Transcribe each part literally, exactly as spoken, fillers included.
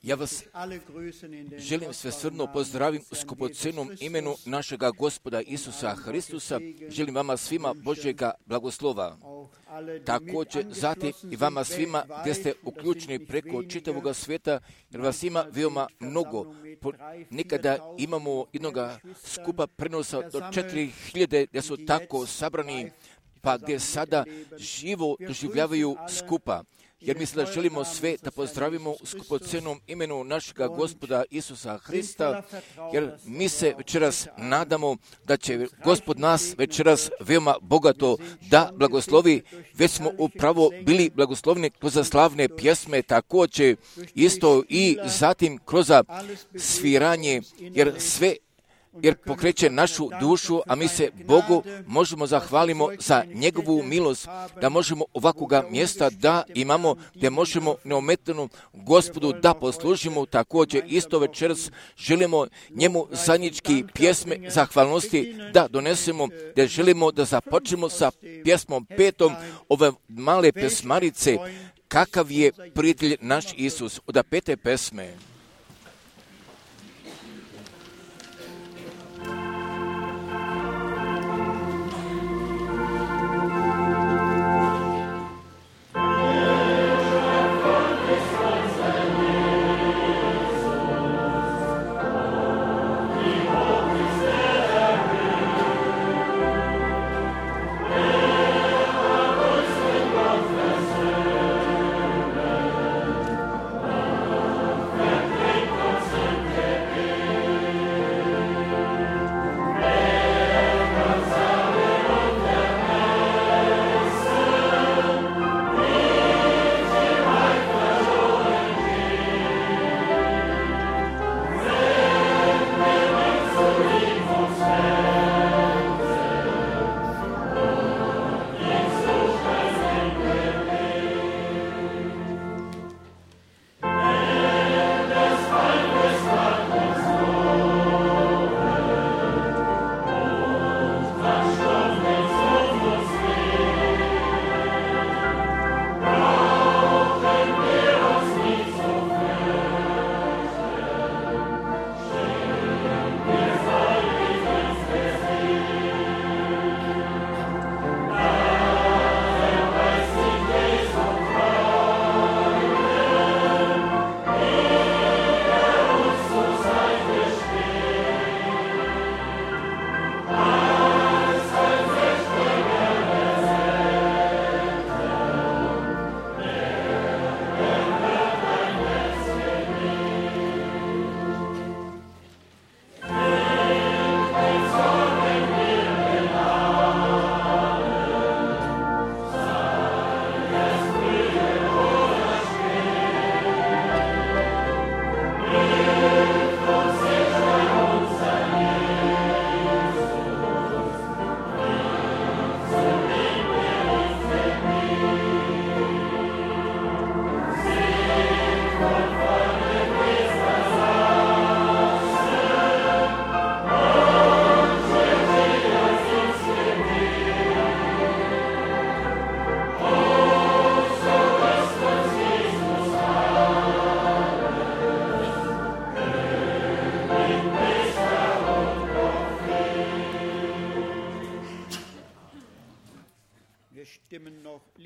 Ja vas želim sve srdno pozdravim u skupocenom imenu našega Gospoda Isusa Hristusa. Želim vama svima Božjega blagoslova. Također zatim i vama svima gdje ste uključeni preko čitavoga svijeta, jer vas ima veoma mnogo. Nekada imamo jednoga skupa prenosa do četiri hiljade gdje su tako sabrani, pa gdje sada živo doživljavaju skupa. Jer mislim da želimo sve da pozdravimo u skupocenom imenu našega Gospoda Isusa Hrista, jer mi se večeras nadamo da će Gospod nas večeras veoma bogato da blagoslovi. Već smo upravo bili blagoslovni kroz slavne pjesme, također isto i zatim kroz sviranje, jer sve jer pokreće našu dušu, a mi se Bogu možemo zahvalimo za njegovu milost, da možemo ovakvoga mjesta da imamo, gdje možemo neometano Gospodu da poslužimo. Također isto večeras želimo njemu zajednički pjesme zahvalnosti da donesemo, gdje želimo da započnemo sa pjesmom petom ove male pesmarice, kakav je prijatelj naš Isus, od pete pesme.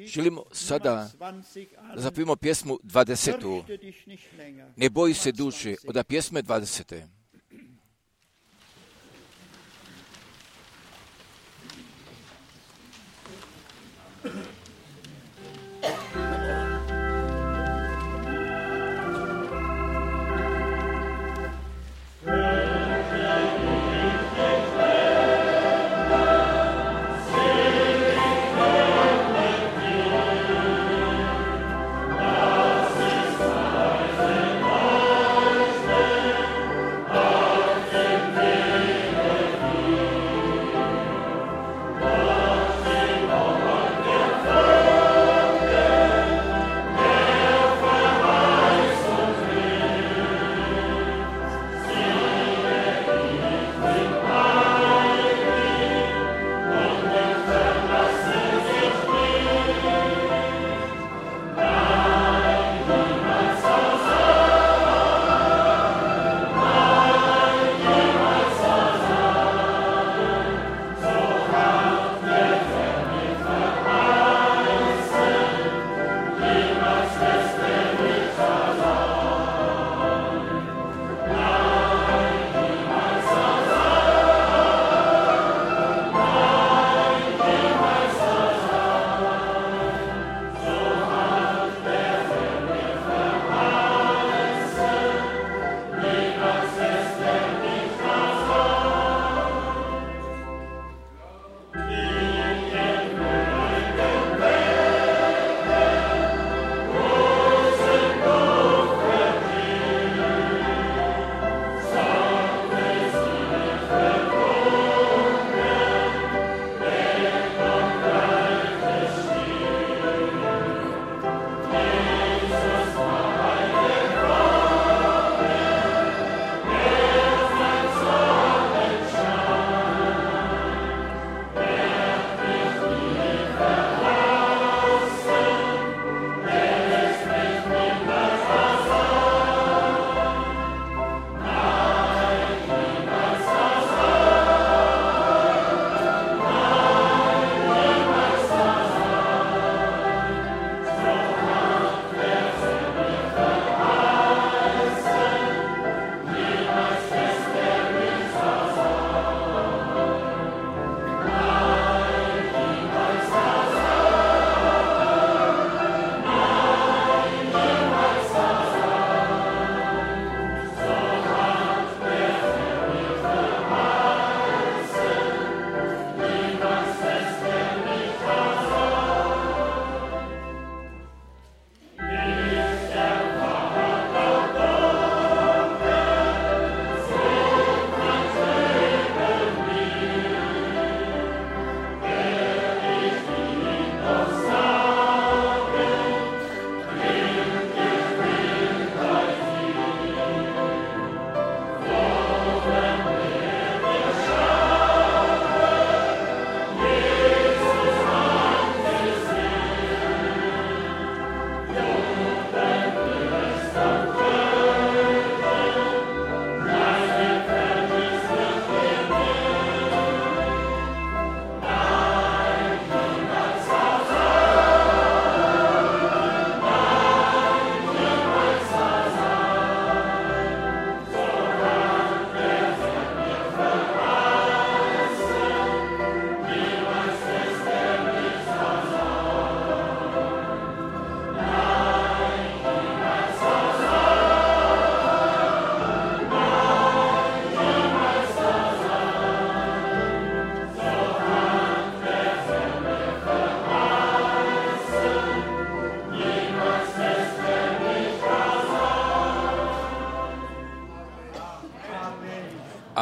Želimo sada da zapijemo pjesmu dvadesetu. Ne boji se duše, od pjesme dvadesete. Oh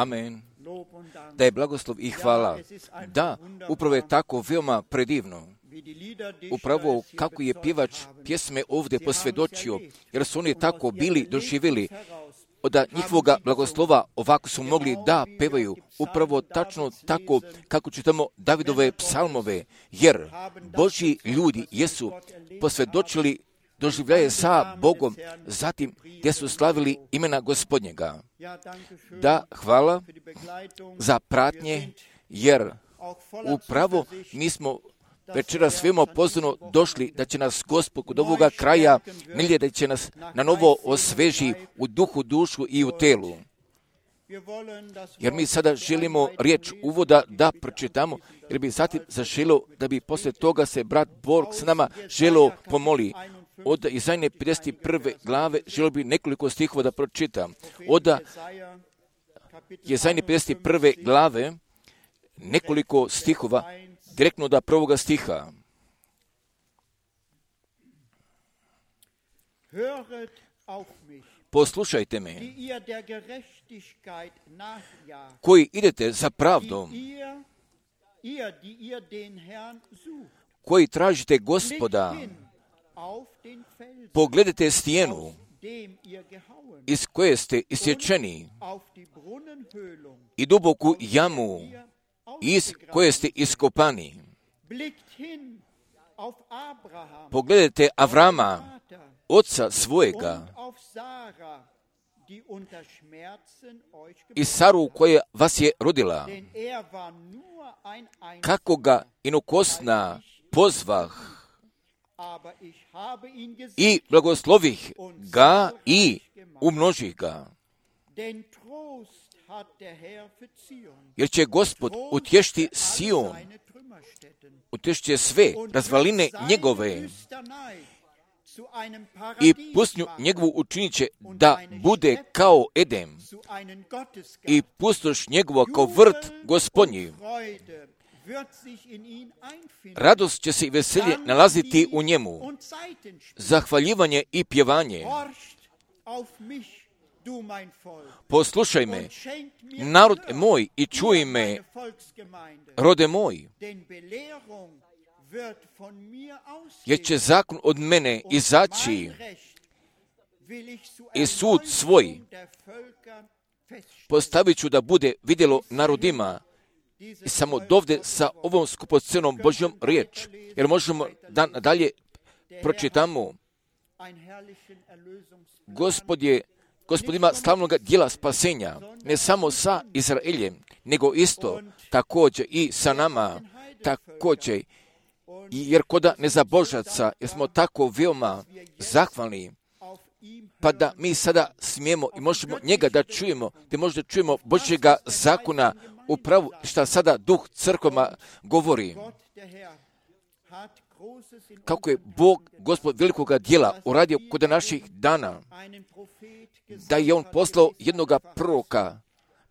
Amen. Da je blagoslov i hvala. Da, upravo je tako veoma predivno. Upravo kako je pjevač pjesme ovdje posvjedočio, jer su oni tako bili doživjeli od njihovoga blagoslova, ovako su mogli da pevaju, upravo tačno tako kako čitamo Davidove psalmove, jer Božji ljudi jesu posvjedočili doživljaje sa Bogom, zatim gdje su slavili imena Gospodnjega. Da, hvala za pratnje, jer upravo mi smo večeras svima pozorno došli da će nas Gospod kod ovoga kraja milje, da će nas na novo osveži u duhu, dušu i u telu. Jer mi sada želimo riječ uvoda da pročitamo, jer bi zatim zaželio da bi poslije toga se brat Borg s nama želio pomoli. Od Izaije pedeset prve glave želio bi nekoliko stihova da pročitam. Od Izaije pedeset prve glave nekoliko stihova, direktno od prvoga stiha. Poslušajte me, koji idete za pravdom, koji tražite Gospoda, pogledajte stijenu iz koje ste isječeni i duboku jamu iz koje ste iskopani. Pogledajte Avrama, oca svojega, i Saru koja vas je rodila, kako ga inokosna pozvah i blagoslovih ga i umnožih ga. Jer će Gospod utješiti Sion, utješit će sve razvaline njegove i pustinju njegovu učinit će da bude kao Edem i pustoš njegova kao vrt Gospodnji. Radost će se i veselje nalaziti u njemu, zahvaljivanje i pjevanje. Poslušaj me, narod moj, i čuj me, rode moj, jer će zakon od mene izaći i sud svoj postavit ću da bude vidjelo narodima. I samo dovde sa ovom skupocenom Božjom riječ, jer možemo da dalje pročitamo. Gospod je, Gospod ima slavnog djela spasenja, ne samo sa Izraeljem, nego isto također i sa nama, također, jer koda nezabožaca, jer smo tako veoma zahvalni, pa da mi sada smijemo i možemo njega da čujemo, da možda čujemo Božjega zakona, upravo šta sada duh crkvama govori. Kako je Bog, Gospod velikoga djela, uradio kod naših dana, da je on poslao jednoga proroka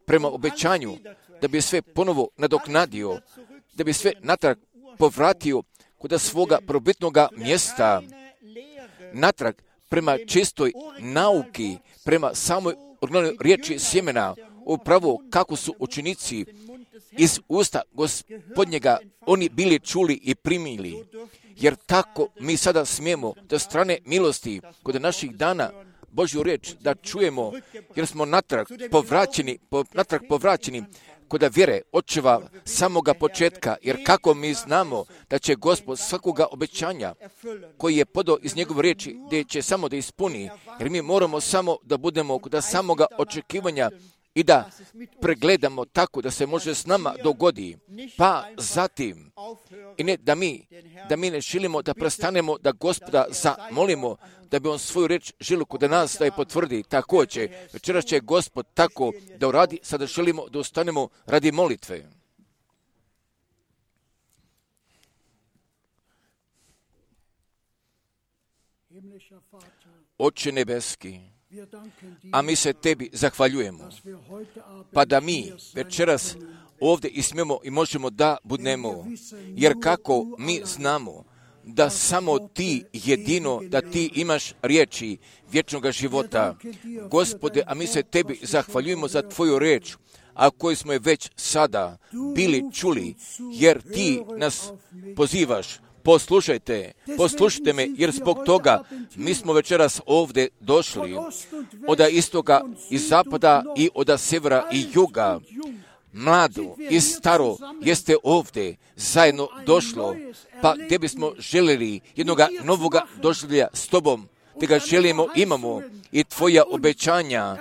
prema obećanju, da bi sve ponovo nadoknadio, da bi sve natrag povratio kod svoga probitnoga mjesta, natrag prema čistoj nauki, prema samoj originalnoj riječi sjemena, upravo kako su učenici iz usta Gospodnjega oni bili čuli i primili. Jer tako mi sada smijemo da strane milosti kod naših dana Božju riječ da čujemo, jer smo natrag povraćeni, po, natrag povraćeni kod vjere očeva samoga početka, jer kako mi znamo da će Gospod svakoga obećanja koji je podao iz njegove riječi, da će samo da ispuni, jer mi moramo samo da budemo kod samoga očekivanja i da pregledamo tako da se može s nama dogodi. Pa zatim, i ne da mi, da mi ne želimo da prestanemo da Gospoda zamolimo, da bi on svoju riječ želio kod nas da je potvrdi. Također, večeras će Gospod tako da uradi, sada želimo da ustanemo radi molitve. Oče nebeski, a mi se tebi zahvaljujemo, pa da mi večeras ovdje i smijemo i možemo da budemo, jer kako mi znamo da samo ti jedino, da ti imaš riječi vječnog života. Gospode, a mi se tebi zahvaljujemo za tvoju riječ, a koji smo je već sada bili čuli, jer ti nas pozivaš. Poslušajte, poslušajte me, jer zbog toga mi smo večeras ovdje došli, od istoga i zapada i od sjevera i juga. Mlado i staro jeste ovdje zajedno došlo, pa gdje bismo željeli jednoga novoga doživlja s tobom, te ga želimo, imamo i tvoja obećanja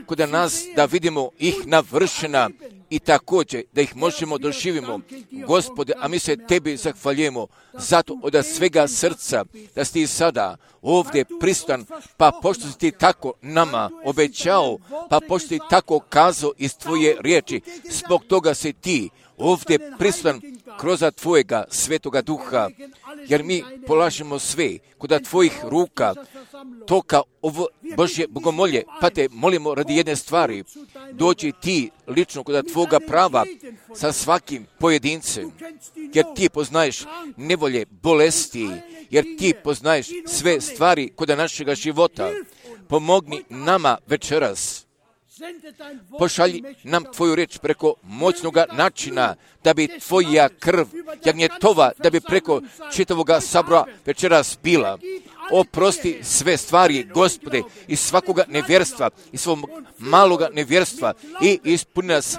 kod nas da vidimo ih navršena i također da ih možemo doživimo. Gospode, a mi se tebi zahvaljujemo zato od svega srca da si ti sada ovdje prisutan, pa pošto si ti tako nama obećao, pa pošto si tako kazao iz tvoje riječi, zbog toga si ti ovdje prisutan kroz tvojega svetoga duha, jer mi polažemo sve kod tvojih ruka, toka ovo Božje bogomolje, pa te molimo radi jedne stvari, dođi ti lično kod tvoga prava sa svakim pojedincem, jer ti poznaješ nevolje, bolesti, jer ti poznaješ sve stvari kod našega života. Pomogni nama večeras. Pošalji nam tvoju riječ preko moćnoga načina, da bi tvoja krv jagnjetova, da bi preko čitavoga sabora večeras bila. Oprosti sve stvari, Gospode, iz svakoga nevjerstva, iz svog maloga nevjerstva i ispuni nas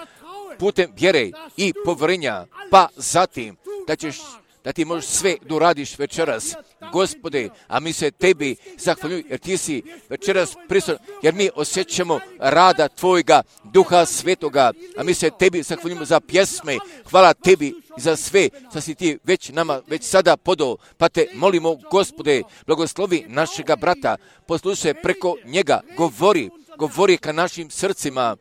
putem vjere i povjerenja, pa zatim da ćeš da ti možeš sve doradiš večeras, Gospode, a mi se tebi zahvaljujem, jer ti si večeras prisutan, jer mi osjećamo rada tvojega Duha Svetoga, a mi se tebi zahvaljujemo za pjesme. Hvala tebi za sve što si ti već nama već sada podao, pa te molimo, Gospode, blagoslovi našega brata, poslušaj preko njega, govori, govori ka našim srcima,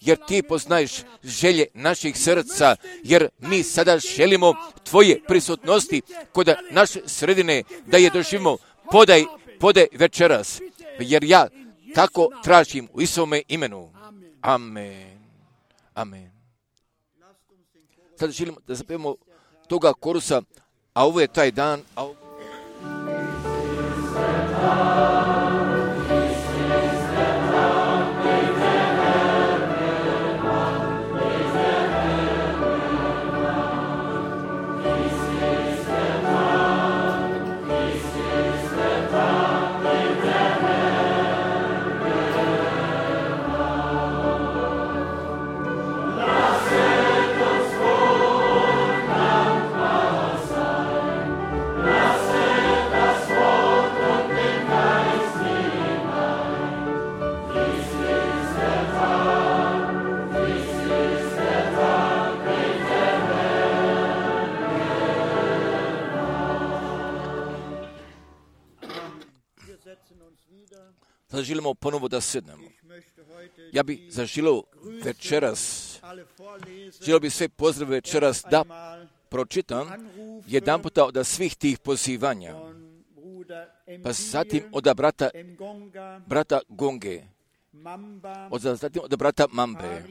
jer ti poznaješ želje naših srca, jer mi sada želimo tvoje prisutnosti kod naše sredine, da je doživimo. Podaj, podaj večeras, jer ja tako tražim u Isovome imenu. Amen. Amen. Sada želimo da zapevamo toga korusa, a ovo je taj dan, a ovo... Sada želimo ponovo da sednemo. Ja bih zaželio večeras, želio bih sve pozdrave večeras da pročitam jedan puta od svih tih pozivanja, pa zatim od brata, brata Gonge, od, zatim od brata Mambe,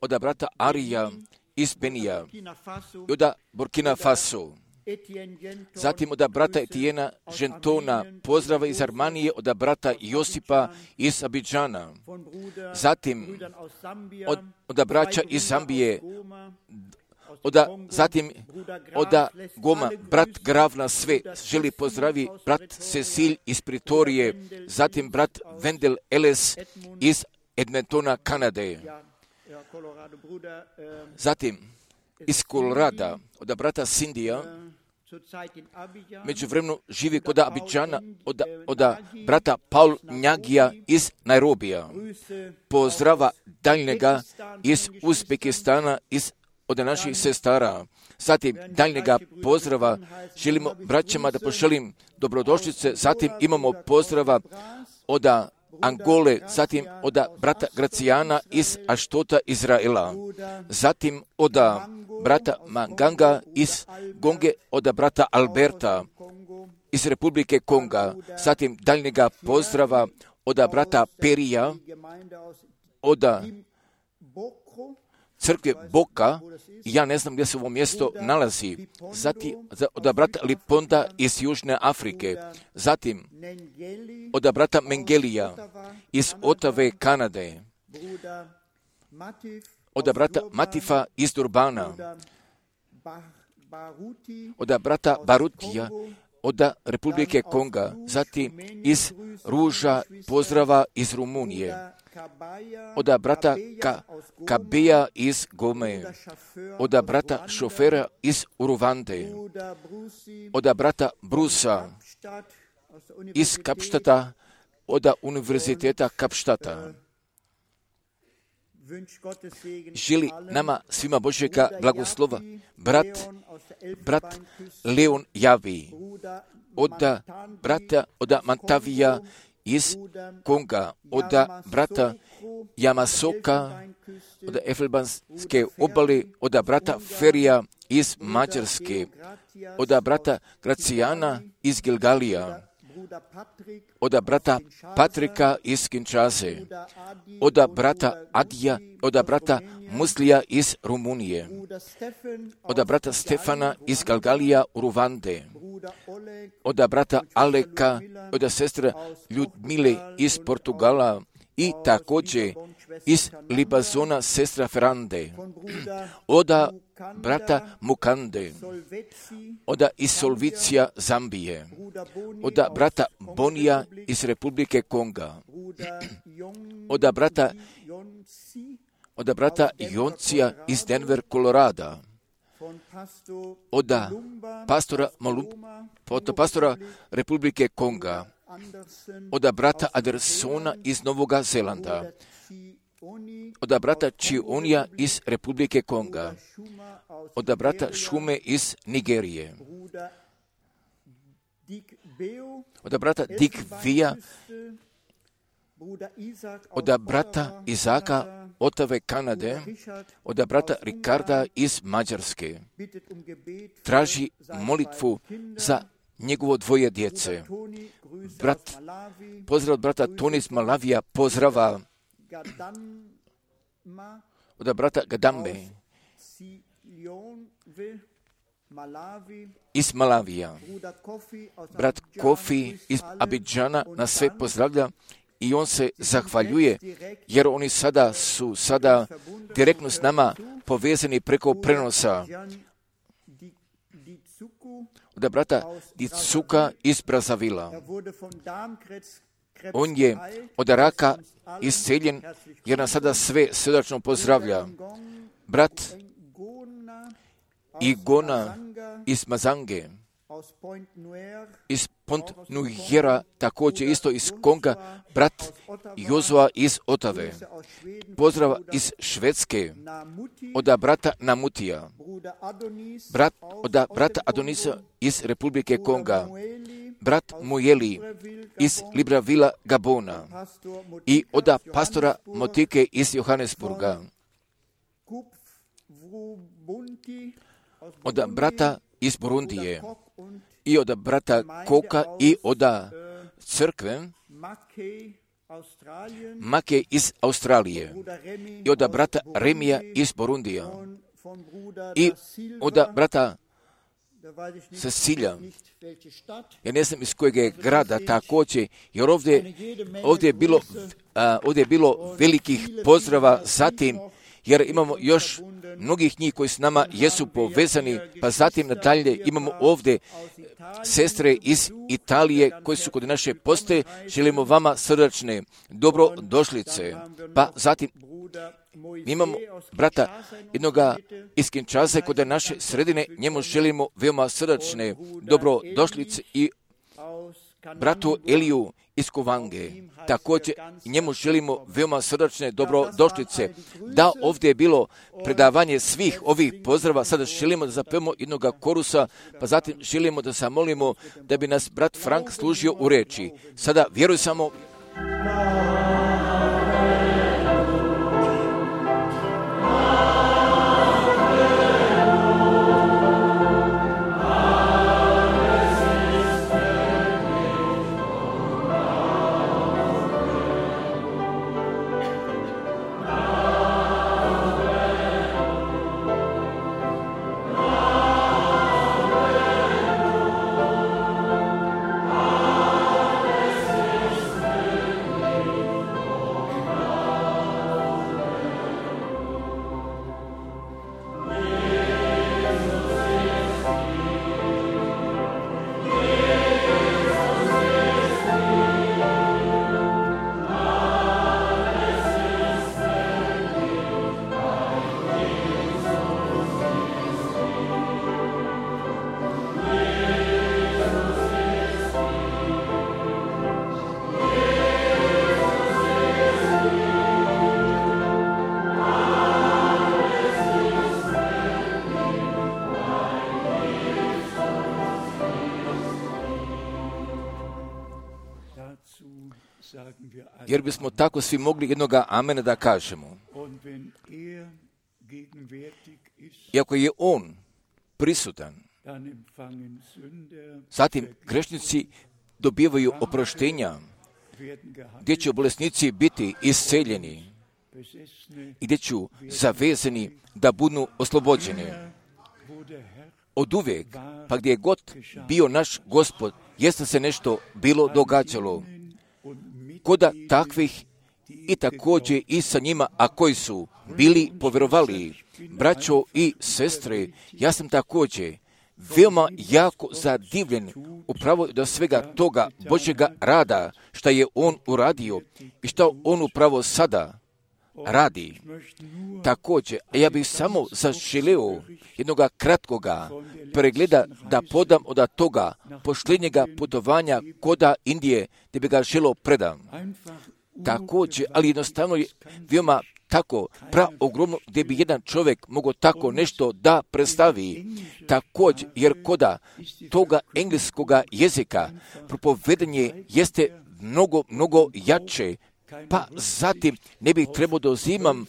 od brata Arija iz Benija i od Burkina Faso. Zatim od brata Etijena Žentona, pozdrava iz Armanije, od brata Josipa iz Abidžana. Zatim od, od braća iz Zambije, od, zatim od Goma, brat Grav na sve želi pozdravi, brat Cecil iz Pritorije, zatim brat Wendel Ellis iz Edmontona, Kanade. Zatim iz Kolorada, od brata Sindija, međuvremeno živi kod Abidžana, od, od brata Paul Njagija iz Nairobija. Pozdrava daljnjega iz Uzbekistana, iz, od naših sestara. Zatim daljnjega pozdrava želimo braćama da pošalim dobrodošlice. Zatim imamo pozdrava od Angole, zatim od brata Gracijana iz Aštota, Izraela, zatim od brata Manganga iz Gonge, od brata Alberta iz Republike Konga, zatim daljnjega pozdrava od brata Perija, od crkve Boka, ja ne znam gdje se ovo mjesto nalazi, zatim od brata Liponda iz Južne Afrike, zatim od brata Mengelija iz Otave, Kanade, od brata Matifa iz Durbana, od brata Barutija, od Republike Konga, zatim iz Ruža pozdrava iz Rumunije, od brata Ka, Kabija iz Gome, od brata šofera iz Uruvande, od brata Brusa iz Kapštata, od Univerziteta Kapštata. Želi nama svima Božjega blagoslova brat, brat Leon Javi, od brata od Mantavija iz Konga, od brata Jamasoka, od Elfenbanske obale, od brata Ferija iz Mađarske, od brata Gracijana iz Gilgalija, od brata Patrika iz Kinshase, od brata Adija, od brata Muslija iz Rumunije, od brata Stefana iz Galgalija u Ruvande, od brata Aleka, od sestre Ljudmile iz Portugala i također iz Libazona sestra Ferrande, od brata Mukande, od iz Solvicija Zambije, od brata Bonija iz Republike Konga, od brata od brata Joncija iz Denver, Kolorada, od pastora Malum, od pastora Republike Konga, od brata Andersona iz Novog Zelanda, od brata Čionija iz Republike Konga, od brata Šume iz Nigerije, od brata Dikvija, od brata Izaka Otave Kanade, od brata Rikarda iz Mađarske. Traži molitvu za njegovo dvoje djece. Brat, pozdrav od brata Toni iz Malavija, pozdrava od brata Gadambe iz Malavija. Brat Kofi iz Abidžana nas sve pozdravlja i on se zahvaljuje, jer oni sada su sada direktno s nama povezani preko prenosa. Od brata Dicuka iz Brazavila. On je od raka isceljen, jer nas sada sve srdačno pozdravlja. Brat Igona iz Mazange, iz Pont Nuhera, također isto iz Konga, brat Jozua iz Otave. Pozdrav iz Švedske, od brata Namutija, brat, od brata Adonisa iz Republike Konga, brat Mujeli iz Librevilla, Gabona i od pastora Motike iz Johannesburga, od brata iz Burundije i od brata Koka i od crkve Make iz Australije i od brata Remija iz Burundija i od brata Cecilija. Ja ne znam iz kojeg je grada također, jer ovdje, ovdje, je bilo, a, ovdje je bilo velikih pozdrava zatim, jer imamo još mnogih njih koji s nama jesu povezani, pa zatim nadalje imamo ovdje sestre iz Italije koji su kod naše postaje. Želimo vama srdačne dobrodošlice. Pa zatim imamo brata jednoga iz Kinshase kod naše sredine, njemu želimo veoma srdačne dobrodošlice i bratu Eliju iz Kovange. Također njemu želimo veoma srdačne dobrodošlice. Da, ovdje je bilo predavanje svih ovih pozdrava, sada želimo da zapevamo jednoga korusa, pa zatim želimo da zamolimo da bi nas brat Frank služio u reči. Sada vjeruj samo. jer bismo tako svi mogli jednoga amena da kažemo. I ako je on prisutan, zatim grešnici dobivaju oproštenja, gdje će bolesnici biti isceljeni i gdje će zavezani da budu oslobođeni. Od uvijek, pa gdje je god bio naš Gospod, jeste se nešto bilo događalo. Koda takvih i također i sa njima, a koji su bili povjerovali, braćo i sestre, ja sam također veoma jako zadivljen upravo do svega toga Božjega rada, što je on uradio i što on upravo sada radi. Također, ja bih samo zaželeo jednog kratkoga pregleda da podam od toga posljednjega putovanja koda Indije, gdje bi ga želio predam. Također, ali jednostavno je veoma tako praogromno gdje bi jedan čovjek mogao tako nešto da predstavi. Također, jer koda toga engleskoga jezika propovedanje jeste mnogo, mnogo jače, pa zatim ne bih trebao da uzimam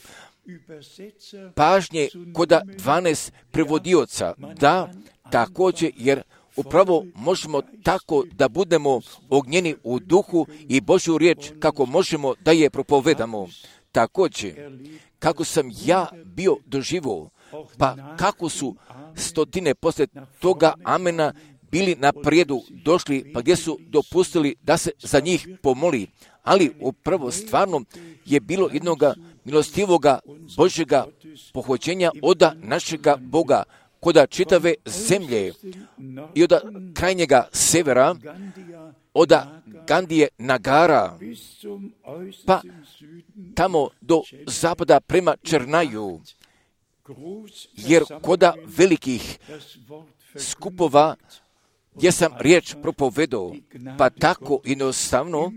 pažnje koda dvanaest prevodioca, da također, jer upravo možemo tako da budemo ognjeni u duhu i Božju riječ kako možemo da je propovedamo. Također, kako sam ja bio doživio, pa kako su stotine poslije toga amena bili na prijedu došli, pa gdje su dopustili da se za njih pomoli. Ali upravo stvarno je bilo jednoga milostivoga Božjega pohođenja od našega Boga, koda čitave zemlje i od krajnjega severa, od Gandije Nagara, pa tamo do zapada prema Černaju, jer koda velikih skupova gdje sam riječ propovedao, pa tako jednostavno,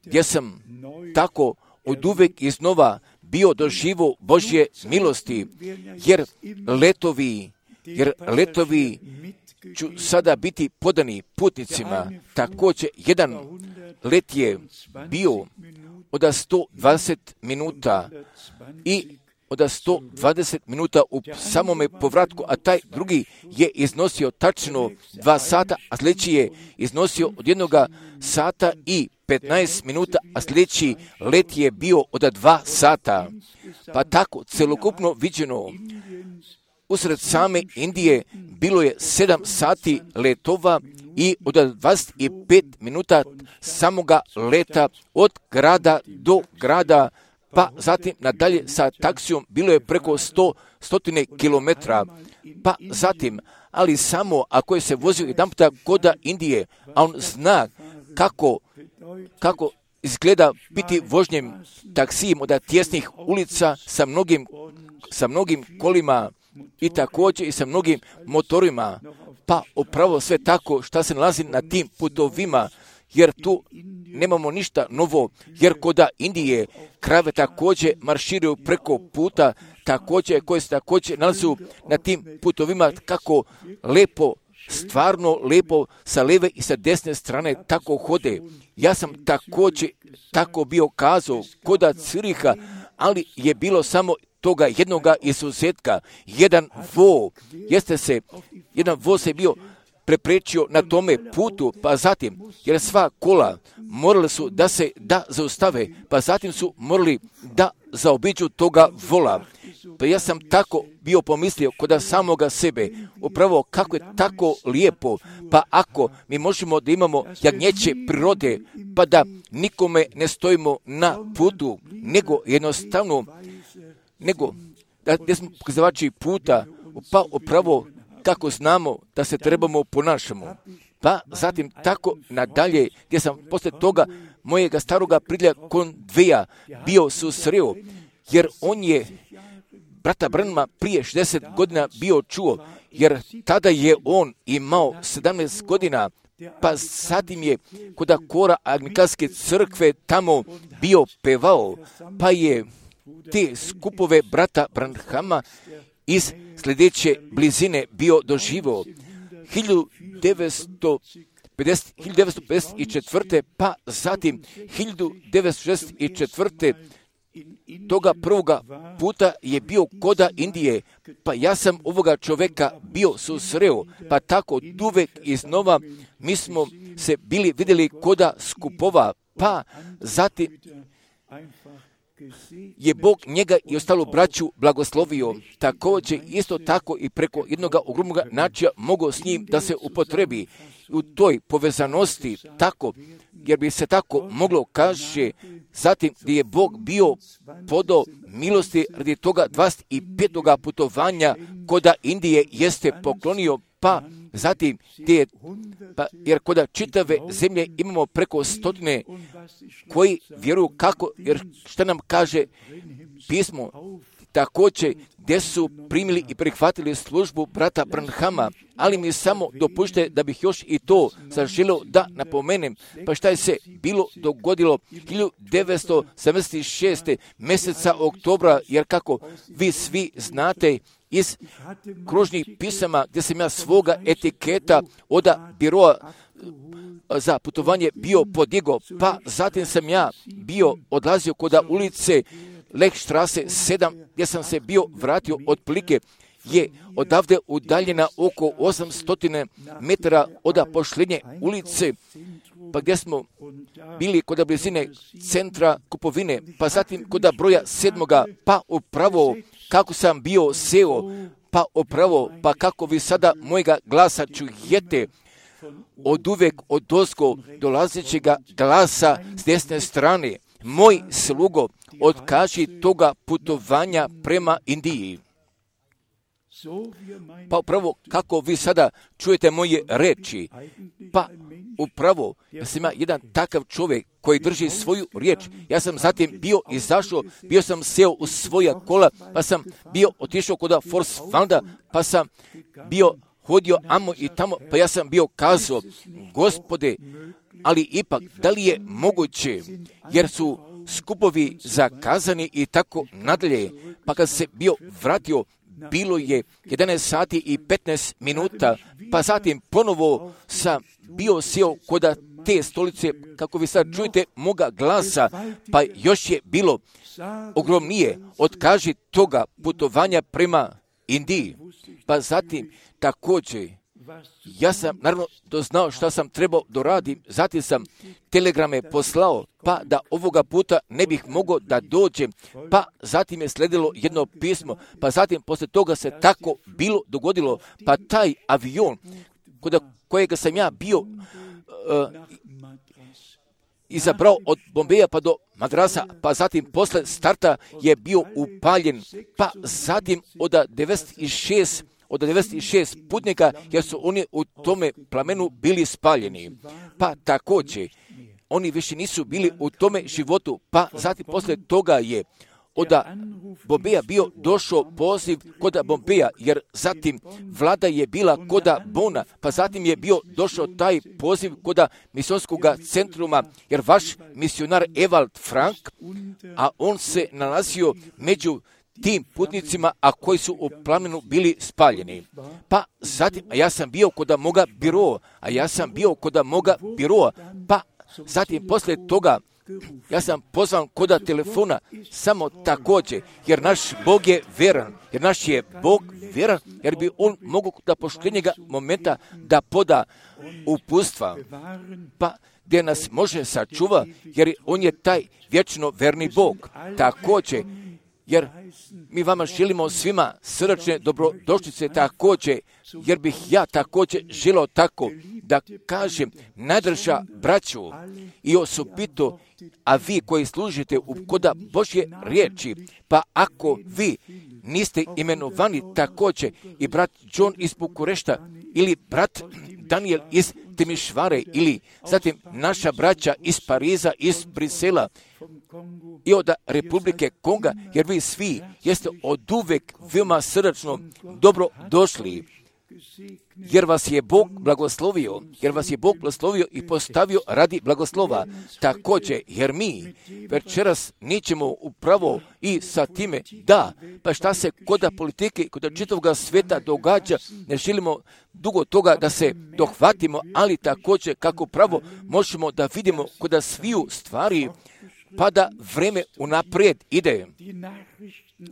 gdje sam tako od uvijek iznova bio doživo Božje milosti, jer letovi, jer letovi ću sada biti podani putnicima. Također, jedan let je bio od sto dvadeset minuta i od sto dvadeset minuta u samome povratku, a taj drugi je iznosio tačno dva sata, a sljedeći je iznosio od jednoga sata i petnaest minuta, a sljedeći let je bio od dva sata. Pa tako, celokupno viđeno, usred same Indije bilo je sedam sati letova i od dvadeset pet minuta samoga leta od grada do grada, pa zatim nadalje sa taksijom bilo je preko sto stotine kilometra, pa zatim, ali samo ako je se vozio jedan puta koda Indije, a on zna kako, kako izgleda biti vožnjem taksijem od tjesnih ulica sa mnogim, sa mnogim kolima i također i sa mnogim motorima, pa upravo sve tako što se nalazi na tim putovima, jer tu nemamo ništa novo, jer koda Indije krave također marširaju preko puta, također koje se također nalazu na tim putovima, kako lepo, stvarno lepo sa lijeve i sa desne strane tako hode. Ja sam također tako bio kazao koda Ciriha, ali je bilo samo toga jednoga izuzetka. Jedan vo, jeste se, jedan voz je bio preprečio na tome putu, pa zatim, jer sva kola morali su da se da zaustave, pa zatim su morali da zaobiđu toga vola. Pa ja sam tako bio pomislio kod samoga sebe, upravo kako je tako lijepo, pa ako mi možemo da imamo jagnjeće prirode, pa da nikome ne stojimo na putu, nego jednostavno, nego da gdje smo pokazavači puta, pa upravo kako znamo da se trebamo ponašamo. Pa zatim tako nadalje, gdje sam poslije toga mojega staroga prilja Konveja bio susreo, jer on je brata Branhama prije šezdeset godina bio čuo, jer tada je on imao sedamnaest godina, pa zatim je kod kora Anglikanske crkve tamo bio pevao, pa je te skupove brata Branhama iz sljedeće blizine bio doživo. hiljadu devetsto hiljadu devetsto pedeset četvrte. pa zatim hiljadu devetsto šezdeset četvrte. toga prvoga puta je bio koda Indije, pa ja sam ovoga čoveka bio susreo, pa tako uvek iznova mi smo se bili vidjeli koda skupova, pa zatim je Bog njega i ostalu braću blagoslovio. Također isto tako i preko jednog ogromnog načina mogao s njim da se upotrebi u toj povezanosti tako, jer bi se tako moglo kaže, zatim gdje je Bog bio podao milosti radi toga dvadeset petog putovanja koda Indije jeste poklonio, pa zatim gdje je, pa, jer koda čitave zemlje imamo preko stotine koji vjeruju kako, jer što nam kaže pismo, također gdje su primili i prihvatili službu brata Branhama, ali mi samo dopušte da bih još i to zaželio da napomenem, pa šta je se bilo dogodilo hiljadu devetsto sedamdeset šeste. mjeseca oktobra, jer kako vi svi znate iz kružnih pisama gdje sam ja svoga etiketa od biroa za putovanje bio podigao, pa zatim sam ja bio odlazio koda ulice Lechstrasse sedam, gdje sam se bio vratio otprilike je odavde udaljena oko osamsto metara od pošljenje ulice, pa gdje smo bili kod blizine centra kupovine, pa zatim kod broja sedmoga, pa upravo kako sam bio seo, pa upravo, pa kako vi sada mojega glasa čujete, od uvek od dozgo dolazećega glasa s desne strane, moj slugo, otkaži toga putovanja prema Indiji. Pa upravo kako vi sada čujete moje reči, pa upravo ja sam ja jedan takav čovjek koji drži svoju riječ. Ja sam zatim bio izašao, bio sam seo u svoja kola, pa sam bio otišao kod Forsvalda, pa sam bio hodio amo i tamo, pa ja sam bio kazao, Gospode, ali ipak, da li je moguće, jer su skupovi zakazani i tako nadalje, pa kad se bio vratio, bilo je jedanaest sati i petnaest minuta, pa zatim ponovo sam bio sjeo kod te stolice, kako vi sad čujete moga glasa, pa još je bilo ogromnije, otkaži toga putovanja prema Indiji. Pa zatim također, ja sam naravno doznao šta sam trebao doradim, zatim sam telegrame poslao, pa da ovoga puta ne bih mogao da dođem, pa zatim je sledilo jedno pismo, pa zatim poslije toga se tako bilo dogodilo, pa taj avion kod kojega sam ja bio uh, izabrao od Bombeja pa do Madrasa, pa zatim posle starta je bio upaljen, pa zatim od devedeset šest od devedeset šest putnika, jer su oni u tome plamenu bili spaljeni. Pa također, oni više nisu bili u tome životu, pa zatim posle toga je od Bombeja bio došao poziv kod Bombeja, jer zatim vlada je bila kod Bona, pa zatim je bio došao taj poziv kod misionskog centruma, jer vaš misionar Ewald Frank, a on se nalazio među tim putnicima, a koji su u plamenu bili spaljeni. Pa zatim, a ja sam bio kod moga biroa, a ja sam bio kod moga biroa, pa zatim posle toga ja sam pozvan kod telefona samo također, jer naš Bog je veran, jer naš je Bog veran, jer bi on mogu da poštenjega momenta da poda upustva, pa gdje nas može sačuva, jer on je taj vječno verni Bog. Također, jer mi vama želimo svima srdačne dobrodošlice također, jer bih ja također želio tako da kažem najdrža braću i osobito, a vi koji služite u koda Božje riječi, pa ako vi niste imenovani također i brat John iz Bukurešta ili brat Daniel iz Timišvare ili zatim naša braća iz Pariza, iz Brisela i od Republike Konga, jer vi svi jeste od uvek veoma srdačno dobro došli. jer vas je Bog blagoslovio, jer vas je Bog blagoslovio i postavio radi blagoslova. Također, jer mi večeras nećemo upravo i sa time, da, pa šta se kod politike, kod čitavog svijeta događa, ne želimo dugo toga da se dohvatimo, ali također kako pravo možemo da vidimo kod sviju stvari, pa da vreme unaprijed ide.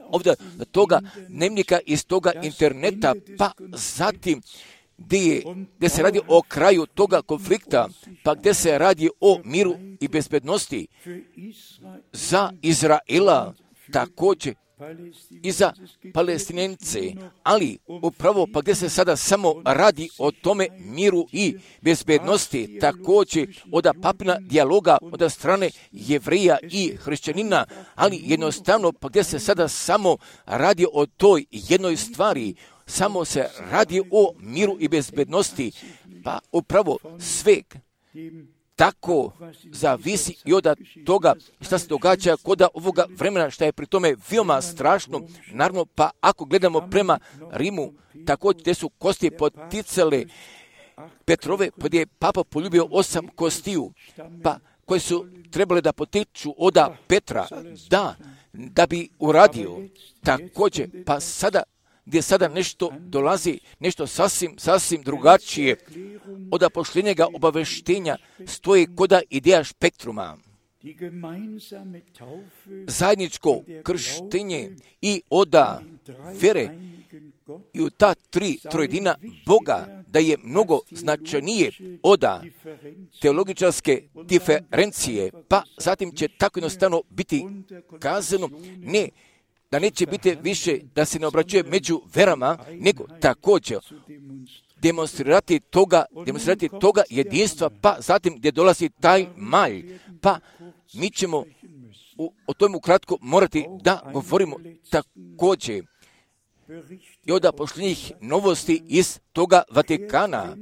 Ovdje toga dnevnika iz toga interneta, pa zatim gdje, gdje se radi o kraju toga konflikta, pa gdje se radi o miru i bezbednosti za Izraela, također i za Palestinence, ali upravo pa gdje se sada samo radi o tome miru i bezbednosti, također od papina dijaloga od strane Jevrija i hrišćanina, ali jednostavno pa gdje se sada samo radi o toj jednoj stvari, samo se radi o miru i bezbednosti, pa upravo sve tako zavisi i od toga šta se događa kod ovoga vremena, što je pri tome veoma strašno. Naravno, pa ako gledamo prema Rimu, također gdje su kosti poticale Petrove, pa gdje je Papa poljubio osam kostiju, pa koje su trebale da potiču od Petra, da, da bi uradio. Također, pa sada gdje sada nešto dolazi, nešto sasvim, sasvim drugačije od poštenjega obaveštenja stoji koda ideja spektruma. Zajedničko krštenje i oda vere i u ta tri trojedina Boga, da je mnogo značajnije oda teologičarske diferencije, pa zatim će tako jednostavno biti kazano, ne, da neće biti više da se ne obraćuje među verama, nego također demonstrirati toga, demonstrirati toga jedinstva, pa zatim gdje dolazi taj malj, pa mi ćemo u, o tome ukratko morati da govorimo također i od pošljenih novosti iz toga Vatikana,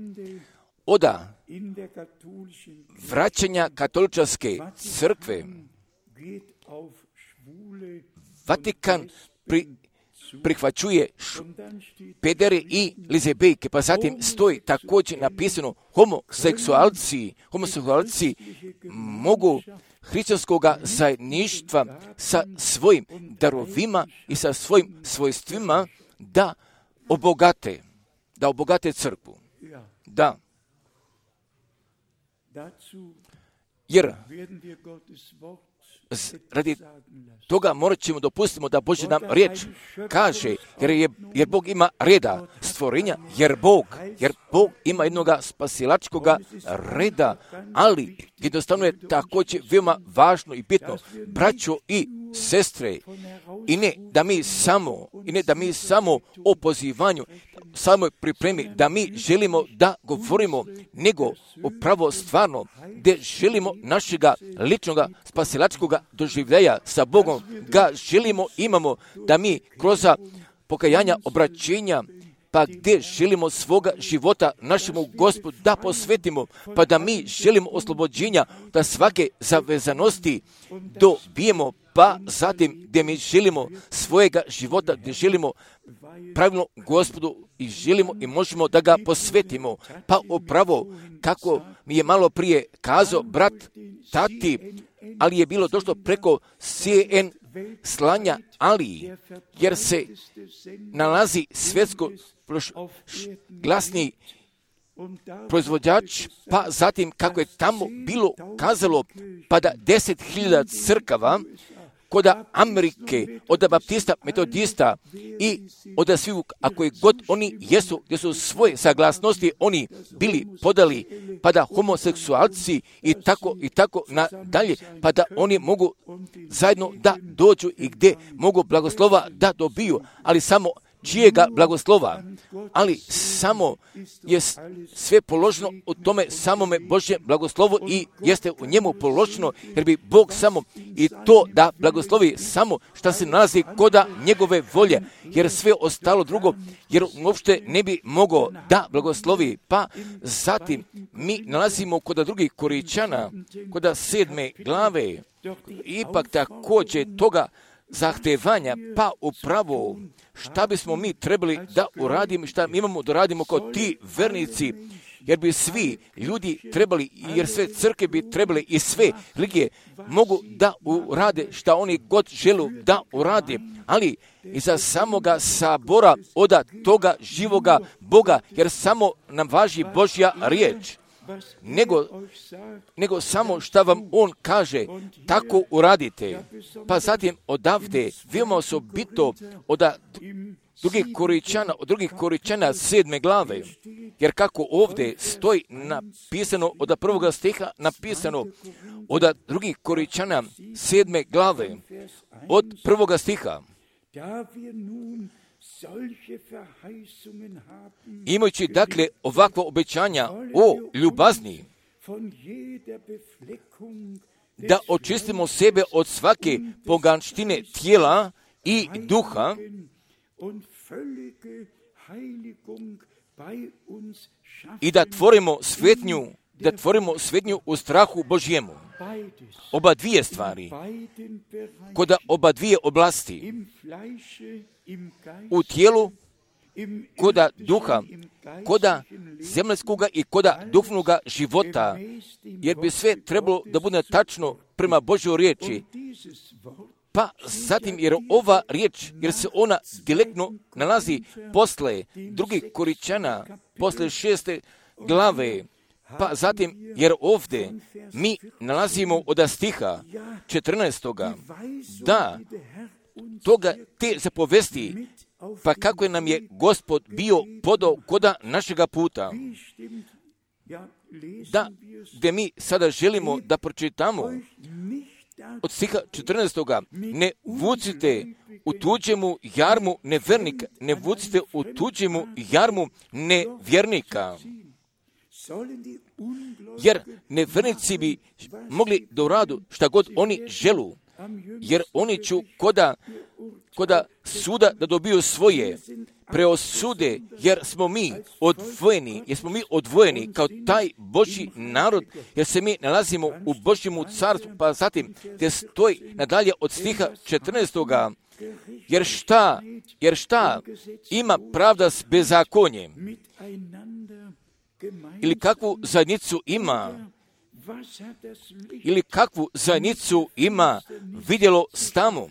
od vraćanja katoličarske crkve. Vatikan pri, prihvaćuje pedere i lizebejke, pa zatim stoji također napisano homoseksualci, homoseksualci mogu hrišćanskog zajedništva sa svojim darovima i sa svojim svojstvima da obogate, da obogate crkvu. Da. Jer radi toga morat ćemo dopustimo da Božja nam riječ kaže, jer, je, jer Bog ima reda stvorenja, jer Bog, jer Bog ima jednog spasilačkog reda, ali jednostavno je također veoma važno i bitno, braćo i sestre, i ne da mi samo, i ne da mi samo o pozivanju, samoj pripremi, da mi želimo da govorimo, nego upravo stvarno, gdje želimo našega ličnog spasilačkog doživljaja sa Bogom, ga želimo, imamo, da mi kroz pokajanja, obraćenja, pa gdje želimo svoga života našemu Gospodu da posvetimo, pa da mi želimo oslobođenja, da svake zavezanosti dobijemo, pa zatim gdje mi želimo svojega života, gdje želimo pravilno Gospodu i želimo i možemo da ga posvetimo. Pa upravo, kako mi je malo prije kazao brat Tati, ali je bilo došlo preko C N slanja, ali jer se nalazi svjetsko glasni proizvođač, pa zatim kako je tamo bilo kazalo, pa da deset hiljada crkava kod Amerike, od baptista, metodista i od svih, ako je god oni jesu, gdje su svoje saglasnosti oni bili podali, pa da homoseksualci i tako i tako nadalje, pa da oni mogu zajedno da dođu i gdje mogu blagoslova da dobiju, ali samo čijega blagoslova, ali samo je sve položeno u tome samome Božjem blagoslovu i jeste u njemu položeno, jer bi Bog samo i to da blagoslovi samo što se nalazi koda njegove volje, jer sve ostalo drugo, jer uopšte ne bi mogao da blagoslovi. Pa zatim mi nalazimo koda drugih Koričana, koda sedme glave, ipak također toga zahtevanja, pa upravo šta bismo mi trebali da uradimo, šta mi imamo da radimo kao ti vernici, jer bi svi ljudi trebali, jer sve crkve bi trebali i sve religije mogu da urade šta oni god želu da urade, ali iza samoga sabora oda toga živoga Boga, jer samo nam važi Božja riječ. Nego, nego samo šta vam on kaže, tako uradite. Pa zatim odavde, veoma osobito od drugih Koričana, od drugih Koričana sedme glave, jer kako ovdje stoji napisano od prvoga stiha, napisano od drugih Koričana sedme glave, od prvoga stiha. Imajući dakle ovakva obećanja o ljubazni, da očistimo sebe od svake poganštine tijela i duha i da tvorimo svetnju, da tvorimo svetnju u strahu Božjemu. Oba dvije stvari, kod oba dvije oblasti, u tijelu, koda duha, koda zemljskoga i koda duhovnoga života, jer bi sve trebalo da bude tačno prema Božjoj riječi. Pa zatim, jer ova riječ, jer se ona direktno nalazi posle drugih Koričana, posle šeste glave, pa zatim, jer ovdje mi nalazimo od stiha četrnaestoga, da toga te zapovesti, pa kako je nam je Gospod bio podao koda našega puta, da, gdje mi sada želimo da pročitamo od stiha četrnaestoga, ne vucite u tuđemu jarmu nevernika, ne vucite u tuđemu jarmu nevjernika. Jer nevernici bi mogli da uradu šta god oni želu, jer oni ću koda, koda suda da dobiju svoje preosude, jer smo mi odvojeni, jer smo mi odvojeni kao taj Božji narod, jer se mi nalazimo u Božjemu carstvu, pa zatim te stoji nadalje od stiha četrnaestoga, jer šta, jer šta ima pravda s bezakonjem, ili kakvu zajednicu ima, ili kakvu zajednicu ima vidjelo s tamo.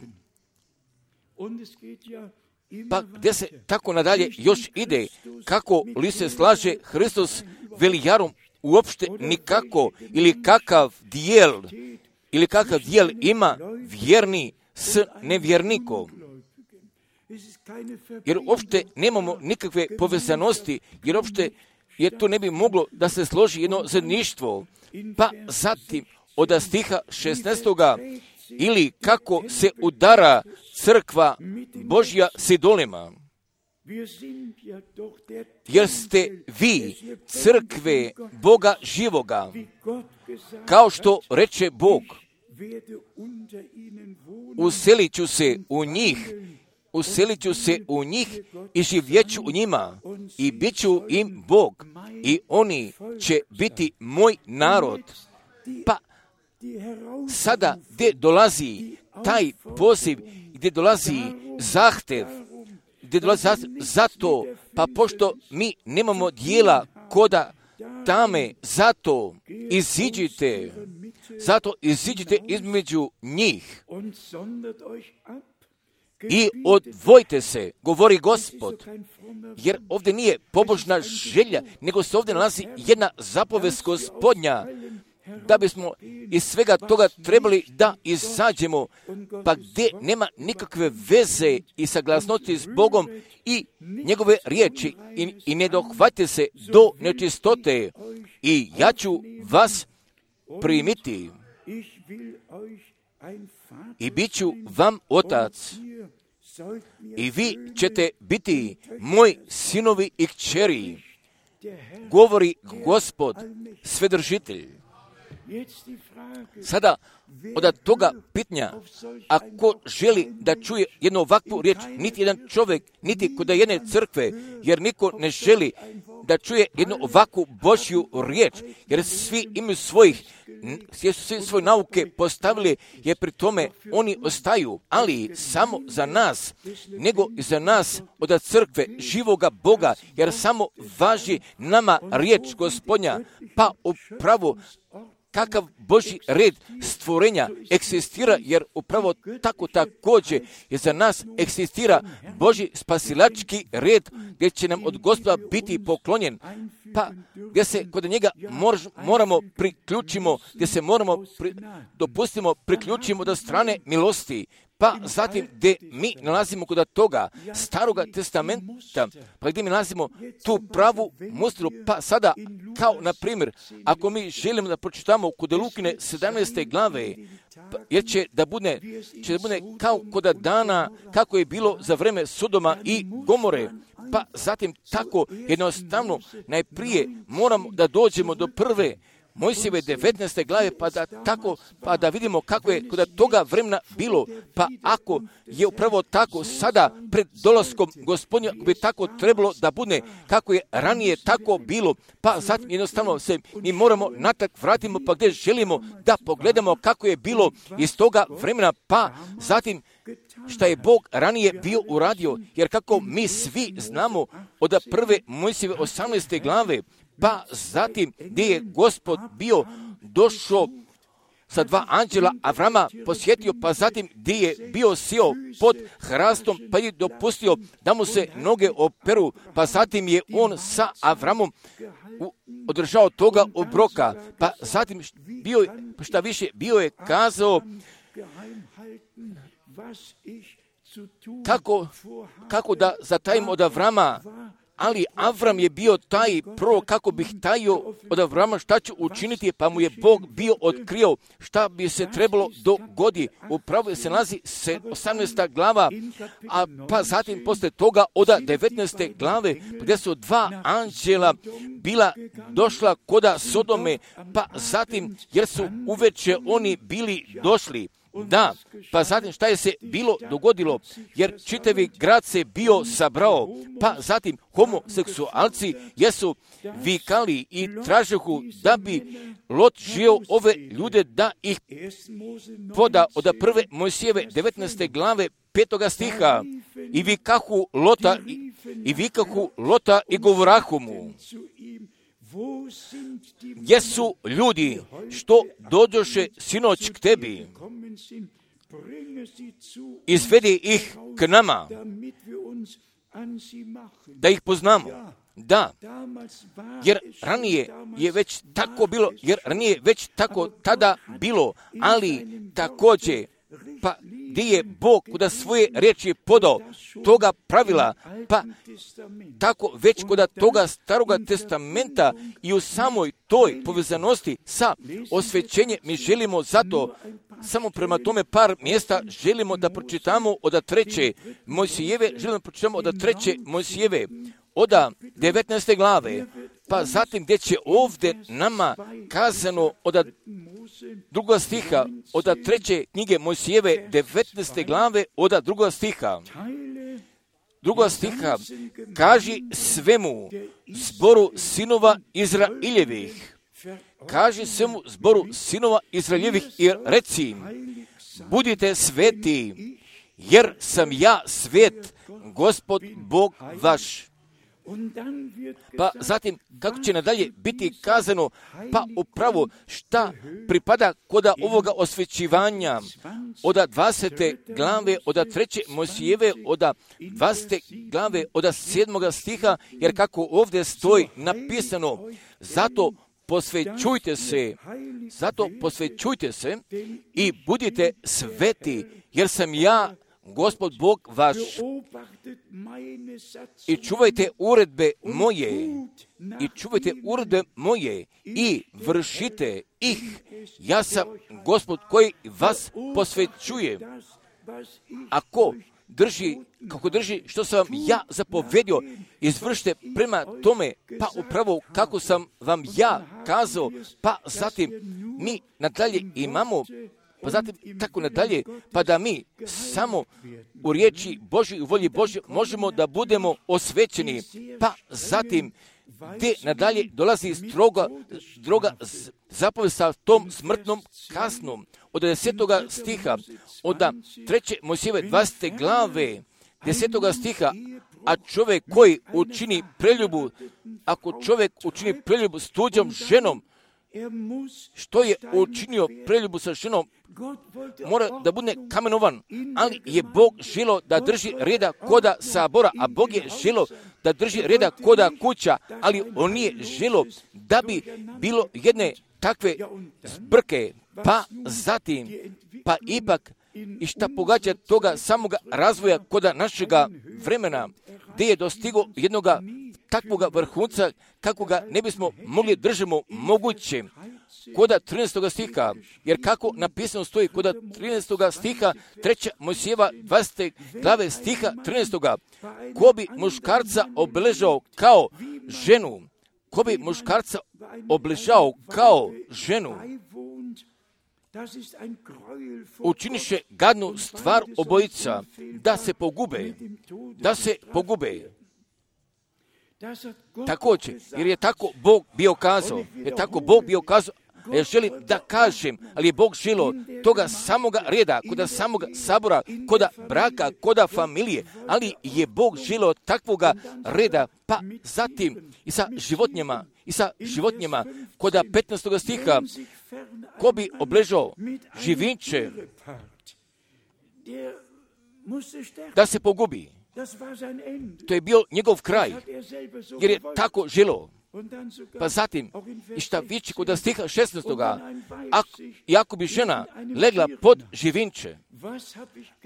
Pa gdje se tako nadalje još ide, kako li se slaže Hristos velijarom, uopšte nikako, ili kakav dijel, ili kakav dijel ima vjerni s nevjernikom. Jer uopšte nemamo nikakve povezanosti, jer uopšte jer to ne bi moglo da se složi jedno zajedništvo. Pa zatim od stiha šesnaestoga, ili kako se udara crkva Božja s idolima. Jer ste vi crkve Boga živoga, kao što reče Bog, uselit ću se u njih, uselit ću se u njih i živjeću u njima i bit ću im Bog i oni će biti moj narod. Pa sada gdje dolazi taj poziv, gdje dolazi zahtev, gdje dolazi zahtev, zato, pa pošto mi nemamo dijela koda tame, zato iziđite, zato iziđite između njih i odvojite se, govori Gospod, jer ovdje nije pobožna želja, nego se ovdje nalazi jedna zapovest Gospodnja, da bismo iz svega toga trebali da izađemo, pa gdje nema nikakve veze i saglasnosti s Bogom i njegove riječi i, i ne dohvatite se do nečistote i ja ću vas primiti i bit ću vam otac i vi ćete biti moji sinovi i kćeri, govori Gospod Svedržitelj. Sada, od toga pitanja, ako želi da čuje jednu ovakvu riječ, niti jedan čovjek, niti kod jedne crkve, jer niko ne želi da čuje jednu ovakvu Božju riječ, jer svi imaju svojih, jer su svi svoje nauke postavili, jer pri tome oni ostaju, ali samo za nas, nego i za nas od crkve živoga Boga, jer samo važi nama riječ Gospodnja, pa upravo kakav Božji red stvorenja eksistira, jer upravo tako također je za nas eksistira Božji spasilački red, gdje će nam od Gospoda biti poklonjen, pa gdje se kod njega mor, moramo priključimo, gdje se moramo pri, dopustimo priključimo do strane milosti, pa zatim gdje mi nalazimo kod toga staroga testamenta, pa gdje mi nalazimo tu pravu mustru, pa sada kao na primjer, ako mi želimo da pročitamo kod Lukine sedamnaeste glave, pa, jer će da bude, će da bude kao kod dana kako je bilo za vreme Sodoma i Gomore, pa zatim tako jednostavno najprije moramo da dođemo do prve Mojsijeve devetnaeste glave, pa da tako, pa da vidimo kako je kod toga vremena bilo, pa ako je upravo tako sada pred dolaskom Gospodnja bi tako trebalo da bude, kako je ranije tako bilo, pa zatim jednostavno se mi moramo natrag vratimo, pa gdje želimo da pogledamo kako je bilo iz toga vremena, pa zatim šta je Bog ranije bio uradio, jer kako mi svi znamo od prve Mojsijeve osamnaeste glave, pa zatim gdje je Gospod bio došao sa dva anđela Avrama posjetio, pa zatim gdje je bio sjeo pod hrastom, pa je dopustio da mu se noge operu, pa zatim je on sa Avramom održao toga obroka, pa zatim bio, šta više, bio je kazao kako, kako da zatajim od Avrama, ali Avram je bio taj prorok, kako bih tajio od Avrama šta ću učiniti, pa mu je Bog bio otkrio šta bi se trebalo dogodi. Upravo se nalazi osamnaesta glava, a pa zatim posle toga od devetnaeste glave, gdje su dva anđela bila došla koda Sodome, pa zatim jer su uveče oni bili došli. Da, pa zatim šta je se bilo dogodilo, jer čitavi grad se bio sabrao, pa zatim homoseksualci jesu vikali i tražehu da bi Lot žio ove ljude da ih poda od prve Mojsijeve devetnaeste glave petoga stiha i vikahu Lota i, i vikahu Lota i govorahu mu. Gdje su ljudi što dođoše sinoć k tebi? Izvedi ih k nama, da ih poznamo. Da, jer ranije je već tako bilo, jer ranije već tako tada bilo, ali također, pa gdje je Bog kuda svoje riječi podao toga pravila, pa tako već kuda toga staroga testamenta i u samoj toj povezanosti sa osvećenjem mi želimo zato, samo prema tome par mjesta želimo da pročitamo od treće Mojsijeve, želimo da pročitamo od treće Mojsijeve, od devetnaeste glave, pa zatim gdje će ovdje nama kazano od drugog stiha, od treće knjige Mojsijeve devetnaeste glave, od drugog stiha. Drugog stiha, kaži svemu zboru sinova Izraeljevih, kaži svemu zboru sinova Izraeljevih i reci im, budite sveti, jer sam ja svet, Gospod Bog vaš. Pa zatim, kako će nadalje biti kazano, pa upravo šta pripada kod ovoga osvećivanja od dvadesete glave, od treće Mojsijeve, od dvadesete glave, od sedmoga stiha, jer kako ovdje stoji napisano, zato posvećujte se, zato posvećujte se i budite sveti, jer sam ja Gospod Bog vaš, i čuvajte uredbe moje, i čuvajte uredbe moje, i vršite ih. Ja sam Gospod koji vas posvećuje. Ako drži, kako drži što sam vam ja zapovedio, izvršite prema tome, pa upravo kako sam vam ja kazao, pa zatim mi nadalje imamo, pa zatim tako nadalje, pa da mi samo u riječi Božoj i u volji Božje možemo da budemo osvećeni, pa zatim gdje nadalje dolazi stroga, stroga zapoved sa tom smrtnom kaznom. Od desetoga stiha, od treće Mojsijeve dvadesete glave, desetoga stiha, a čovjek koji učini preljubu, ako čovjek učini preljubu s tuđom ženom, što je učinio preljubu sa ženom, mora da bude kamenovan, ali je Bog želio da drži reda koda sabora, a Bog je želio da drži reda koda kuća, ali on nije želio da bi bilo jedne takve zbrke, pa zatim, pa ipak, i šta pogađa toga samoga razvoja koda našega vremena, gdje je dostigo jednoga takvoga vrhunca, kako ga ne bismo mogli držimo moguće. Koda trinaestoga stiha, jer kako napisano stoji koda trinaestoga stiha, treća Mojsijeva dvadesete glave stiha trinaestoga, ko bi muškarca obeležao kao ženu, ko bi muškarca obeležao kao ženu, učiniše gadnu stvar obojica, da se pogube, da se pogube. Također, jer je tako Bog bio kazao, jer tako Bog bio kazao, ja želim da kažem, ali je Bog želio toga samoga reda, koda samoga sabora, koda braka, koda familije, ali je Bog želio takvoga reda, pa zatim i sa životinjama, i sa životinjama, koda petnaestoga stiha, ko bi obležao živinče, da se pogubi. To je bio njegov kraj, jer je tako želio. Pa zatim, i šta vići kod stiha šesnaestoga, ako bi žena legla pod živinče,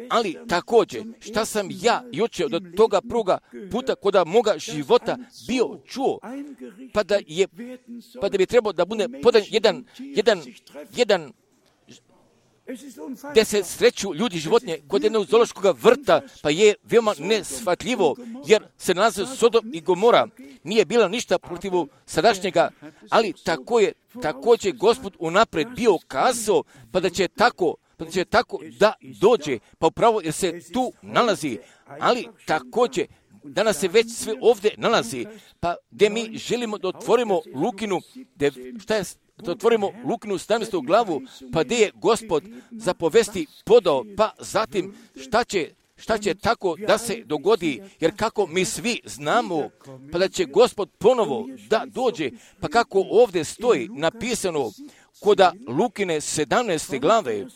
ali također, šta sam ja juče od toga pruga puta koda moga života bio čuo, pa da je, pa da bi trebao da bude podan jedan, jedan, jedan, gdje se sreću ljudi životinje kod jednog zoološkog vrta, pa je veoma nesvatljivo, jer se nalaze Sodom i Gomora. Nije bilo ništa protiv sadašnjega, ali tako je, također Gospod unaprijed bio kazao, pa da će tako, pa da će tako da dođe, pa upravo jer se tu nalazi, ali također danas se već sve ovdje nalazi, pa gdje mi želimo da otvorimo Lukinu, de, šta je, da otvorimo Lukinu sedamnaestu glavu, pa gdje je Gospod zapovesti podao, pa zatim šta će, šta će tako da se dogodi, jer kako mi svi znamo, pa da će Gospod ponovo da dođe, pa kako ovdje stoji napisano koda Lukine sedamnaeste glave,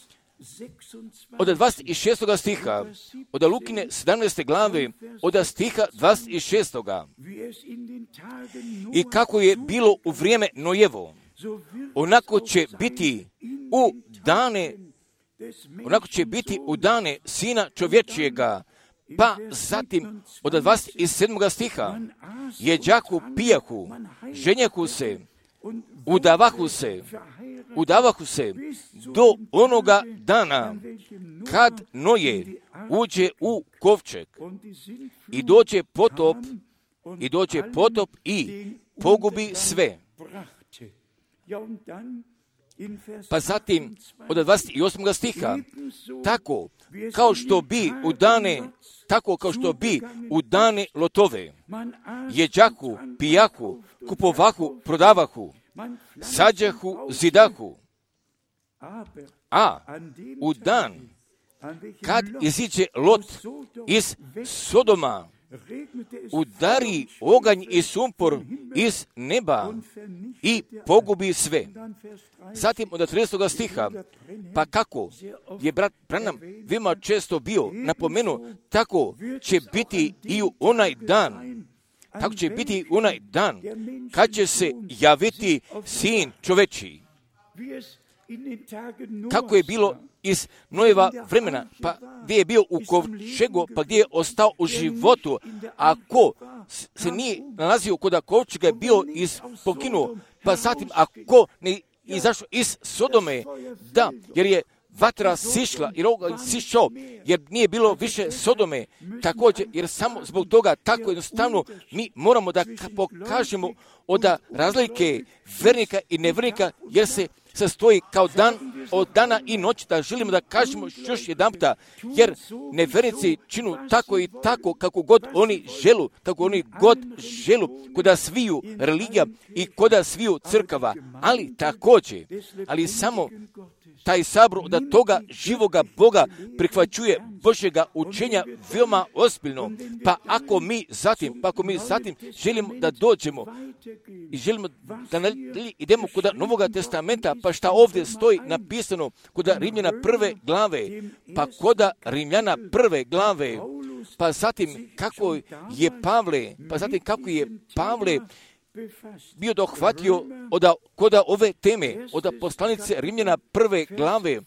od dvadeset šestoga stiha, od Lukine sedamnaeste glave, od stiha dvadeset šestoga. I kako je bilo u vrijeme Nojevo, onako će biti u dane, onako će biti u dane Sina čovječijega, pa zatim od dvadeset sedmoga stiha, jeđahu, pijahu, ženjahu se, udavahu se, udavahu se do onoga dana kad Noje uđe u kovčeg i dođe potop, i dođe potop i pogubi sve. Pa zatim od dvadeset osmoga stiha, tako kao što bi u dane, tako kao što bi u dane Lotove, jeđahu, pijahu, kupovahu, prodavahu, sađahu, zidahu, a u dan kad iziđe Lot iz Sodoma, udari oganj i sumpor iz neba i pogubi sve. Zatim od tridesetog stiha, pa kako je brat Branham veoma često bio napomenuo, tako će biti i u onaj dan, tako će biti u onaj dan kad će se javiti Sin čovečiji. Kako je bilo iz Nojeva vremena, pa gdje je bio u kovčegu, pa gdje je ostao u životu, a ko se nije nalazio kod kovčega je bio iz poginuo, pa zatim ako ne izašao iz Sodome, da, jer je vatra sišla, jer oganj sišao, jer nije bilo više Sodome, također, jer samo zbog toga tako jednostavno mi moramo da pokažemo od razlike vernika i nevernika, jer se sastoji kao dan od dana i noći, da želimo da kažemo još jedan puta, jer nevernici činu tako i tako kako god oni želu, kako oni god želu, koda sviju religija i koda sviju crkava, ali također, ali samo taj sabor od toga živoga Boga prihvaćuje Božjega učenja veoma ozbiljno. Pa ako mi zatim, pa ako mi zatim želimo da dođemo i želimo da idemo kod Novoga testamenta, pa šta ovdje stoji napisano kod Rimljana prve glave, pa kod Rimljana prve glave, pa zatim kako je Pavle, pa zatim kako je Pavle bio dohvatio od koda ove teme, od poslanice Rimljana prve glave,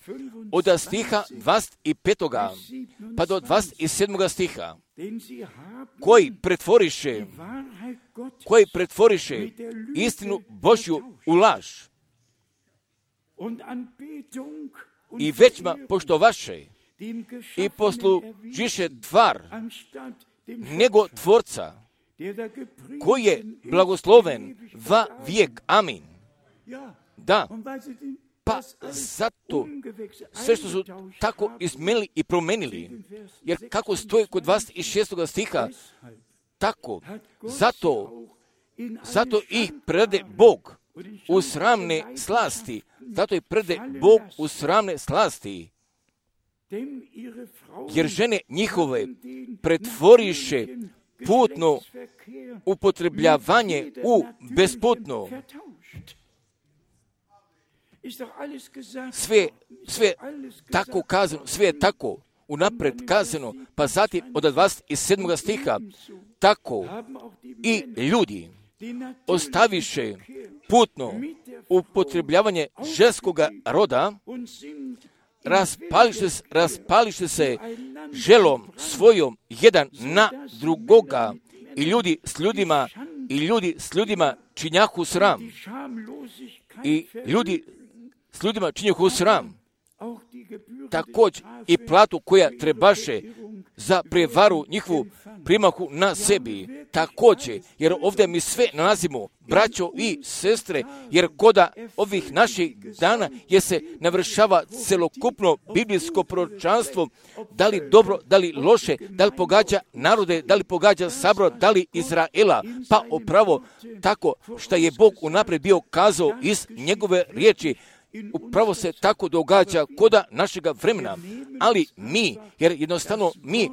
od stiha dvadeset petoga pa do dvadeset sedmoga stiha, koji pretvoriše, koji pretvoriše istinu Božju u laž i većma poštovaše i poslužiše tvar nego tvorca, koji je blagosloven va vijek. Amin. Da, pa zato sve što su tako izmenili i promenili, jer kako stoji kod dvadeset šestog stiha, tako, zato, zato ih prede Bog u sramne slasti, zato ih prede Bog u sramne slasti, jer žene njihove pretvoriše putno upotrebljavanje u besputno. Sve, sve tako kazano, sve je tako unapred kazano, pa zatim od dvadeset sedmoga stiha, tako i ljudi ostaviše putno upotrebljavanje ženskoga roda, raspališe, raspališe se želom svojom jedan na drugoga i ljudi s ljudima i ljudi s ljudima činjahu sram i ljudi s ljudima činjahu sram, također i platu koja trebaše za prevaru njihovu primahu na sebi, također, jer ovdje mi sve nalazimo, braćo i sestre, jer koda ovih naših dana je se navršava celokupno biblijsko proročanstvo, da li dobro, da li loše, da li pogađa narode, da li pogađa sabor, da li Izraela, pa upravo tako što je Bog unaprijed bio kazao iz njegove riječi, upravo se tako događa koda našega vremena, ali mi, jer jednostavno mi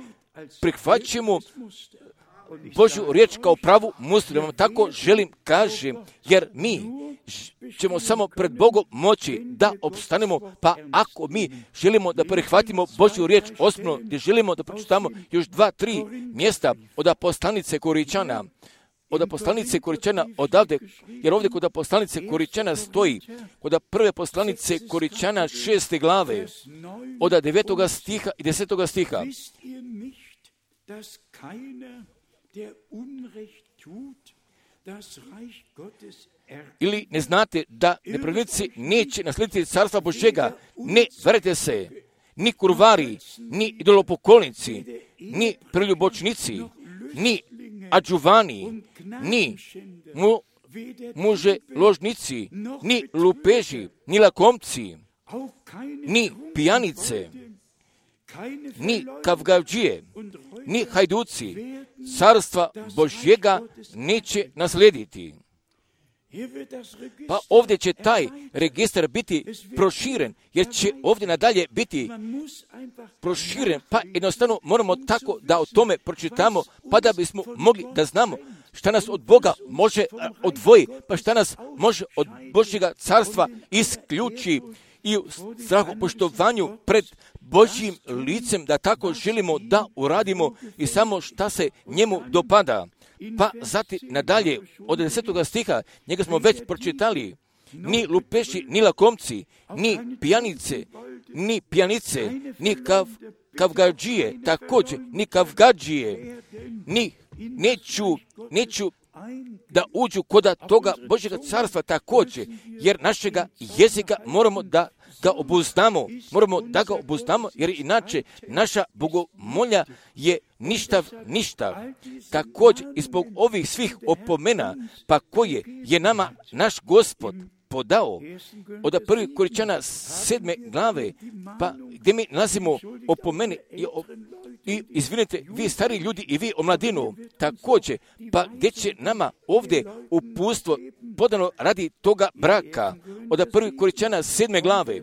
prihvaćamo Božju riječ kao pravu muslimu, tako želim kažem, jer mi ćemo samo pred Bogom moći da opstanemo, pa ako mi želimo da prihvatimo Božju riječ ozbiljno, gdje želimo da pročitamo još dva, tri mjesta od poslanice Koričana, od poslanice Koričana odavde, jer ovdje kod poslanice Koričana stoji, kod prve poslanice Koričana šeste glave, od devetoga stiha i desetoga stiha. Ili ne znate da nepravednici neće naslijediti carstva Božjega, ne verujte se, ni kurvari, ni idolopoklonici, ni preljubočnici, ni adžuvani, ni mu, muže ložnici, ni lupeži, ni lakomci, ni pijanice, ni kavgavđije, ni hajduci, carstva Božjega neće naslijediti. Pa ovdje će taj registar biti proširen, jer će ovdje nadalje biti proširen, pa jednostavno moramo tako da o tome pročitamo, pa da bismo mogli da znamo šta nas od Boga može odvoji, pa šta nas može od Božjega carstva isključi i u strahopoštovanju pred Božjim licem, da tako želimo da uradimo i samo šta se njemu dopada. Pa zatim nadalje, od desetoga stiha, njega smo već pročitali, ni lupeši, ni lakomci, ni pijanice, ni pijanice, ni kav, kavgađije, također, ni kavgađije, ni neću, neću da uđu kod toga Božjega carstva također, jer našega jezika moramo da ga obuzdamo, moramo da ga obuzdamo, jer inače naša bogomolja je ništav ništav. Također i zbog ovih svih opomena, pa koje je nama naš Gospod podao od prvih Korinćana sedme glave, pa gdje mi nalazimo opomene i, i izvinite, vi stari ljudi i vi omladinu, također, pa gdje će nama ovdje uputstvo podano radi toga braka, od prvih Korinćana sedme glave,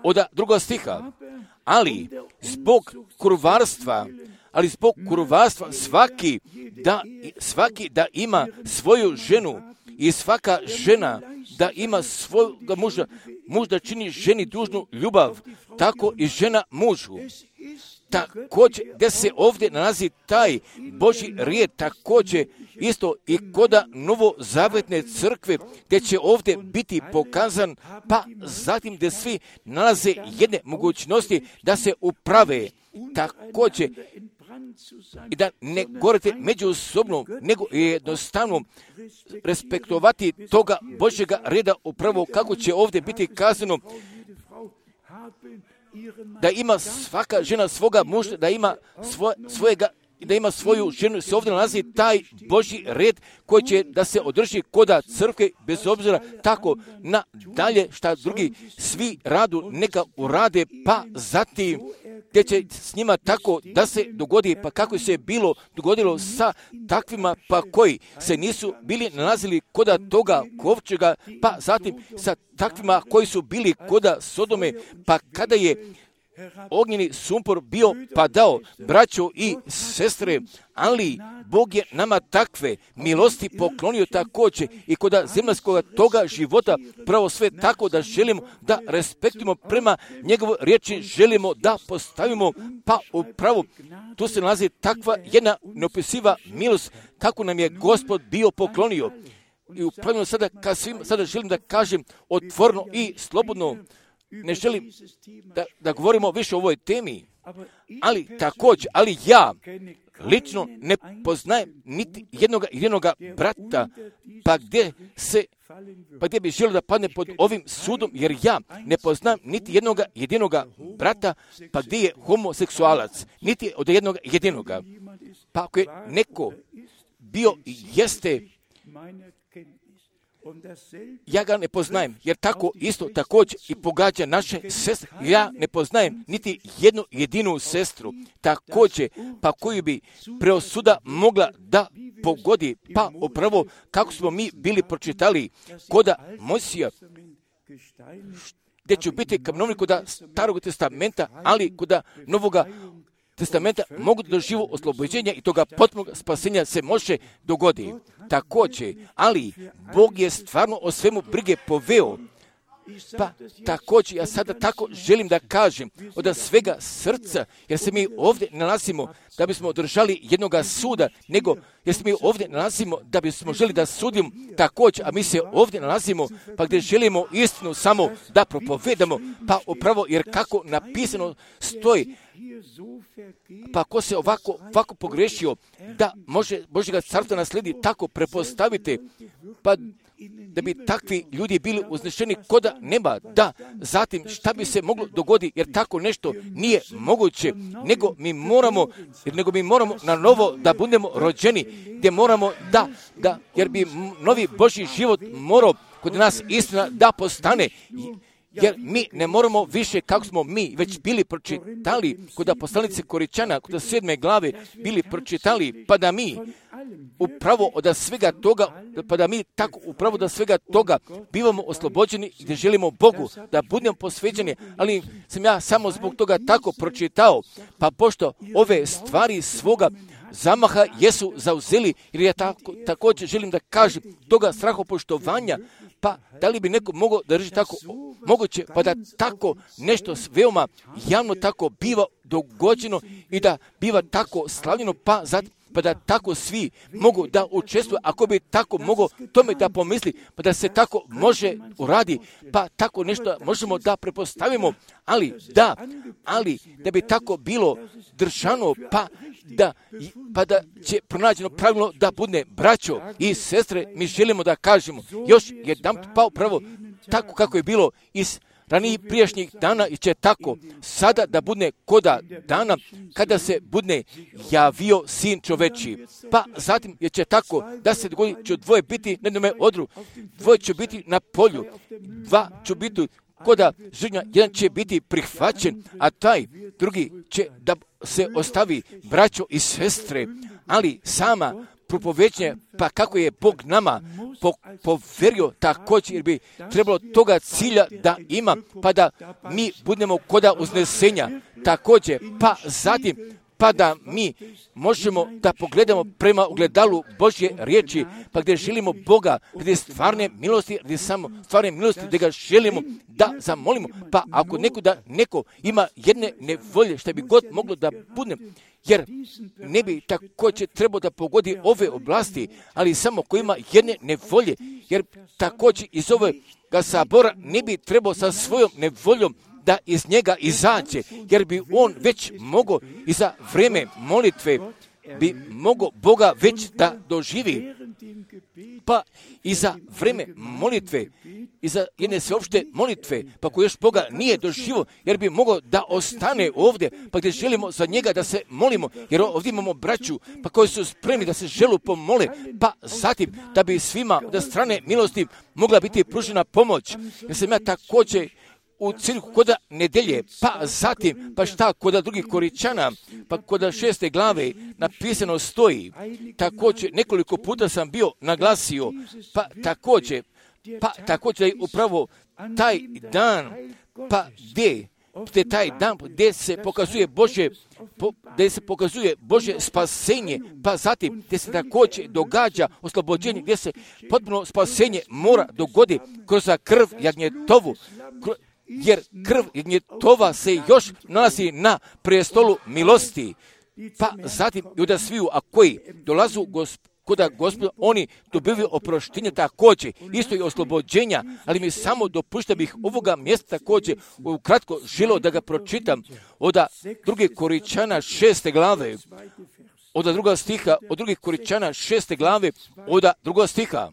od drugog stiha, ali zbog kurvarstva, ali zbog kurvarstva svaki da, svaki da ima svoju ženu i svaka žena da ima svoga muža, muž da čini ženi dužnu ljubav, tako i žena mužu. Također, gdje se ovdje nalazi taj Božji rijed, također isto i koda novozavetne crkve, gdje će ovdje biti pokazan, pa zatim gdje svi nalaze jedne mogućnosti da se uprave, također i da ne govorite međusobno, nego jednostavno respektovati toga Božjega reda upravo kako će ovdje biti kazano, da ima svaka žena svoga muža, da ima svoj, svojega, da ima svoju ženu, se ovdje nalazi taj Božji red koji će da se održi koda crkve, bez obzira tako na dalje šta drugi svi radu neka urade, pa zatim gdje će s njima tako da se dogodi, pa kako se bilo dogodilo sa takvima, pa koji se nisu bili nalazili koda toga kovčega, pa zatim sa takvima koji su bili koda Sodome, pa kada je ognjeni sumpor bio padao, braćo i sestre, ali Bog je nama takve milosti poklonio također i koda zemaljskog toga života, pravo sve tako da želimo da respektujemo prema njegovoj riječi, želimo da postavimo, pa upravo tu se nalazi takva jedna neopisiva milost kako nam je Gospod bio poklonio. I upravo sada, kad svim, sada želim da kažem otvorno i slobodno, ne želim da, da govorimo više o ovoj temi, ali također, ali ja lično ne poznajem niti jednoga, jednoga brata, pa gdje se, pa gdje bi želio da padne pod ovim sudom, jer ja ne poznam niti jednoga jedinoga brata, pa gdje je homoseksualac, niti od jednoga jedinoga. Pa ako je neko bio i jeste, ja ga ne poznajem, jer tako isto također i pogađa naše sestre. Ja ne poznajem niti jednu jedinu sestru, također, pa koju bi preosuda mogla da pogodi, pa upravo kako smo mi bili pročitali koda Mojsija, gdje ću biti kamenovnik koda Starog testamenta, ali koda Novoga testamenta mogu doživu oslobođenja i toga potpunog spasenja se može dogoditi. Također, ali Bog je stvarno o svemu brige poveo. Pa također, ja sada tako želim da kažem od svega srca, jer se mi ovdje nalazimo da bismo održali jednoga suda, nego jer se mi ovdje nalazimo da bismo želi da sudimo također, a mi se ovdje nalazimo pa gdje želimo istinu samo da propovedamo, pa upravo jer kako napisano stoji, pa ko se ovako, ovako pogrešio da može Božjega carstva nasledi, tako prepostavite, pa da bi takvi ljudi bili uznešeni koda neba, da zatim šta bi se moglo dogoditi, jer tako nešto nije moguće, nego mi moramo, nego mi moramo na novo da budemo rođeni, gdje moramo da, da, jer bi novi Božji život morao kod nas istina da postane, jer mi ne moramo više kako smo mi već bili pročitali kod poslanice Korinćana, kod sedme glave bili pročitali, pa da mi upravo od svega toga, pa da mi tako upravo od svega toga bivamo oslobođeni i da želimo Bogu da budemo posvećeni, ali sam ja samo zbog toga tako pročitao, pa pošto ove stvari svoga zamaha jesu zauzeli, jer ja tako, također želim da kažem toga strahopoštovanja, pa da li bi neko mogao da drži tako moguće, pa da tako nešto veoma javno tako biva dogođeno i da biva tako slavljeno, pa zato pa da tako svi mogu da učestvuju, ako bi tako mogao tome da pomisli, pa da se tako može uradi, pa tako nešto možemo da prepostavimo, ali da, ali da bi tako bilo držano, pa da, pa da će pronađeno pravilno da bude braćo i sestre, mi želimo da kažemo još jedan pa upravo tako kako je bilo iz ranijih prijašnjih dana i će tako sada da bude koda dana kada se bude javio sin čoveči. Pa zatim je će tako da se dogodi će dvoje biti na jednome odru, dvoje će biti na polju, dva će biti koda žrtva, jedan će biti prihvaćen, a taj drugi će da se ostavi, braćo i sestre, ali sama propovećenje, pa kako je Bog nama po, poverio također, jer bi trebalo toga cilja da ima, pa da mi budemo koda uznesenja također, pa zatim, pa da mi možemo da pogledamo prema ugledalu Božje riječi, pa gdje želimo Boga, gdje stvarne milosti, gdje samo stvarne milosti, gdje ga želimo da zamolimo, pa ako neko da neko ima jedne nevolje, što bi god moglo da bude, jer ne bi također trebao da pogodi ove oblasti, ali samo ko ima jedne nevolje, jer također iz ovog sabora ne bi trebao sa svojom nevoljom da iz njega izađe, jer bi on već mogao i za vrijeme molitve bi mogao Boga već da doživi. Pa i za vrijeme molitve, i za jedne sveopšte molitve, pa ko još Boga nije doživo, jer bi mogao da ostane ovdje, pa gdje želimo za njega da se molimo, jer ovdje imamo braću, pa koji su spremni da se želu pomole, pa zatim da bi svima od strane milosti mogla biti pružena pomoć. Jer sam ja također u cirku koda nedelje, pa zatim, pa šta koda drugih Koričana, pa koda šeste glave napisano stoji, također nekoliko puta sam bio naglasio, pa također, pa također je upravo taj dan, pa gdje, gdje taj dan gdje se pokazuje Božje, po, gdje se pokazuje Božje spasenje, pa zatim gdje se također događa oslobođenje, gdje se potpuno spasenje mora dogoditi kroz krv jagnjetovu, jer krv jagnjetova se još nalazi na prestolu milosti, pa zatim i da sviju, a koji dolazu gosp- koda Gospoda, oni dobivaju oproštenje također, isto i oslobođenja, ali mi samo dopušta bih ovoga mjesta također ukratko želio da ga pročitam od druge Koričana šeste glave, od druga stiha, od drugih Koričana šeste glave, od druga stiha.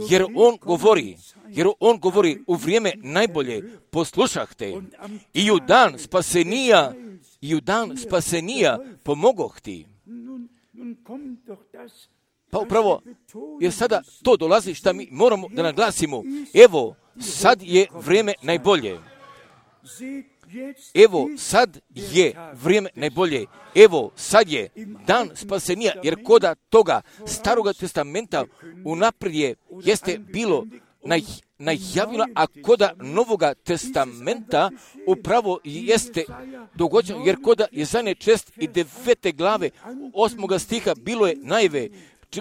Jer on govori, jer on govori u vrijeme najbolje poslušahte i u dan spasenija, i u dan spasenija pomogoh ti. Pa upravo, jer sada to dolazi što mi moramo da naglasimo. Evo, sad je vrijeme najbolje. Evo, sad je vrijeme najbolje. Evo, sad je dan spasenija, jer koda toga Staroga testamenta unaprijed jeste bilo naj, najavila, a koda Novoga testamenta upravo jeste dogođeno, jer koda Jezanje čest i devete glave osmoga stiha bilo je najve,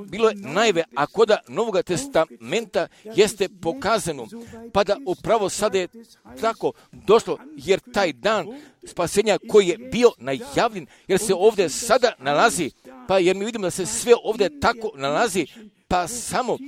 bilo je najve, a koda Novoga testamenta jeste pokazano, pa da upravo sada je tako došlo, jer taj dan spasenja koji je bio najavljen, jer se ovdje sada nalazi, pa jer mi vidimo da se sve ovdje tako nalazi, pa samo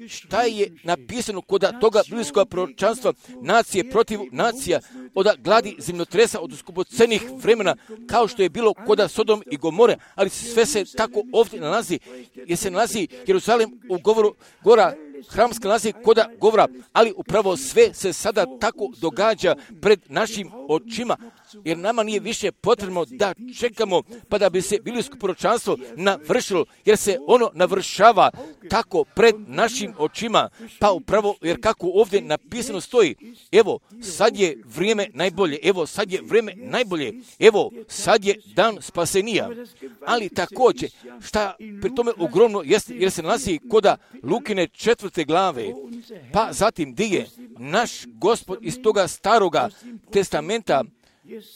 šta je napisano kod toga biblijskog proročanstva, nacije protiv nacija, od gladi zemljotresa, od skupocenih vremena, kao što je bilo kod Sodom i Gomore, ali sve se tako ovdje nalazi, jer se nalazi Jeruzalem u govoru gora, hramska nalazi kod govora, ali upravo sve se sada tako događa pred našim očima, jer nama nije više potrebno da čekamo pa da bi se biblijsko proročanstvo navršilo, jer se ono navršava tako pred našim očima, pa upravo jer kako ovdje napisano stoji, evo sad je vrijeme najbolje, evo sad je vrijeme najbolje, evo sad je dan spasenija, ali također šta pri tome ogromno jeste, jer se nalazi koda Lukine četvrte glave, pa zatim gdje je naš Gospod iz toga Staroga testamenta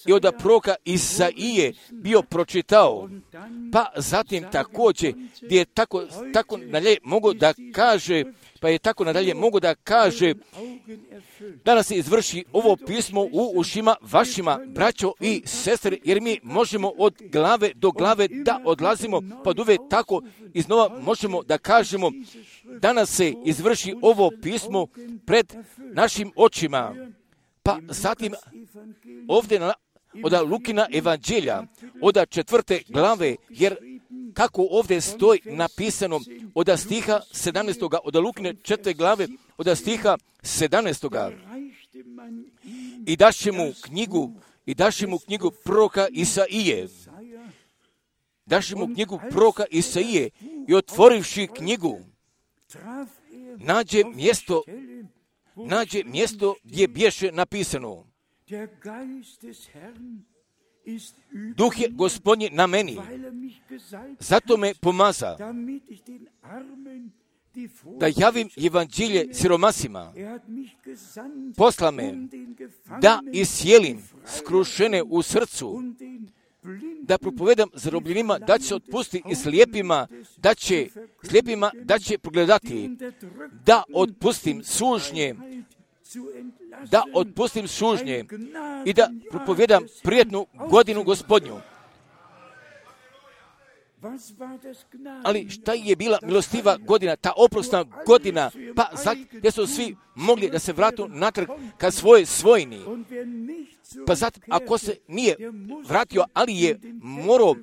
i od proroka Isaije bio pročitao, pa zatim također gdje je tako, tako nadalje mogu da kaže, pa je tako nadalje mogu da kaže, danas se izvrši ovo pismo u ušima vašima, braćo i sestre, jer mi možemo od glave do glave da odlazimo, pa uvijek tako iznova možemo da kažemo, danas se izvrši ovo pismo pred našim očima. Pa zatim ovdje na, od Lukina evanđelja, od četvrte glave, jer kako ovdje stoji napisano od stiha sedamnaestog od Lukine četvrte glave, od stiha sedamnaestog I daše mu knjigu, i daše mu knjigu proroka Isaije. Daše mu knjigu proroka Isaije i otvorivši knjigu, nađe mjesto, nađe mjesto gdje bješe napisano: Duh je Gospodnji na meni, zato me pomaza, da javim evanđelje siromasima. Posla me da iscijelim skrušene u srcu, da propovedam zarobljenima da će se otpustiti i slijepima, da će slijepima da će progledati, da otpustim sužnje, da otpustim sužnje i da propovedam prijatnu godinu Gospodnju. Ali šta je bila milostiva godina, ta oprosna godina, pa zato gdje su svi mogli da se vratu natrag ka svoje svojini. Pa zato ako se nije vratio, ali je morao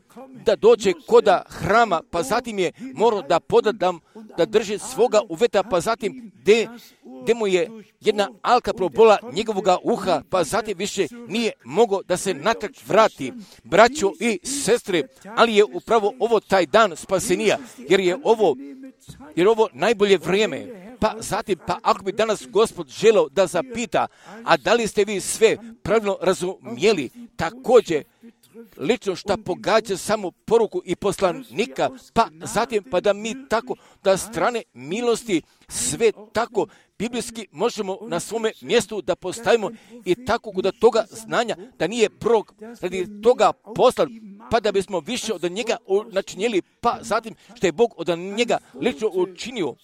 da dođe koda hrama, pa zatim je morao da podadam, da drži svoga uveta, pa zatim gdje gdje mu je jedna alka probola njegovoga uha, pa zatim više nije mogao da se natrag vrati. Braćo i sestre, ali je upravo ovo taj dan spasenija, jer je ovo, jer ovo najbolje vrijeme. Pa zatim, pa ako bi danas Gospod želeo da zapita, a da li ste vi sve pravilno razumijeli, također lično šta pogađa samo poruku i poslanika, pa zatim pa da mi tako da strane milosti sve tako biblijski možemo na svome mjestu da postavimo i tako kod toga znanja da nije prorok radi toga poslan, pa da bismo više od njega načinjeli, pa zatim što je Bog od njega lično učinio.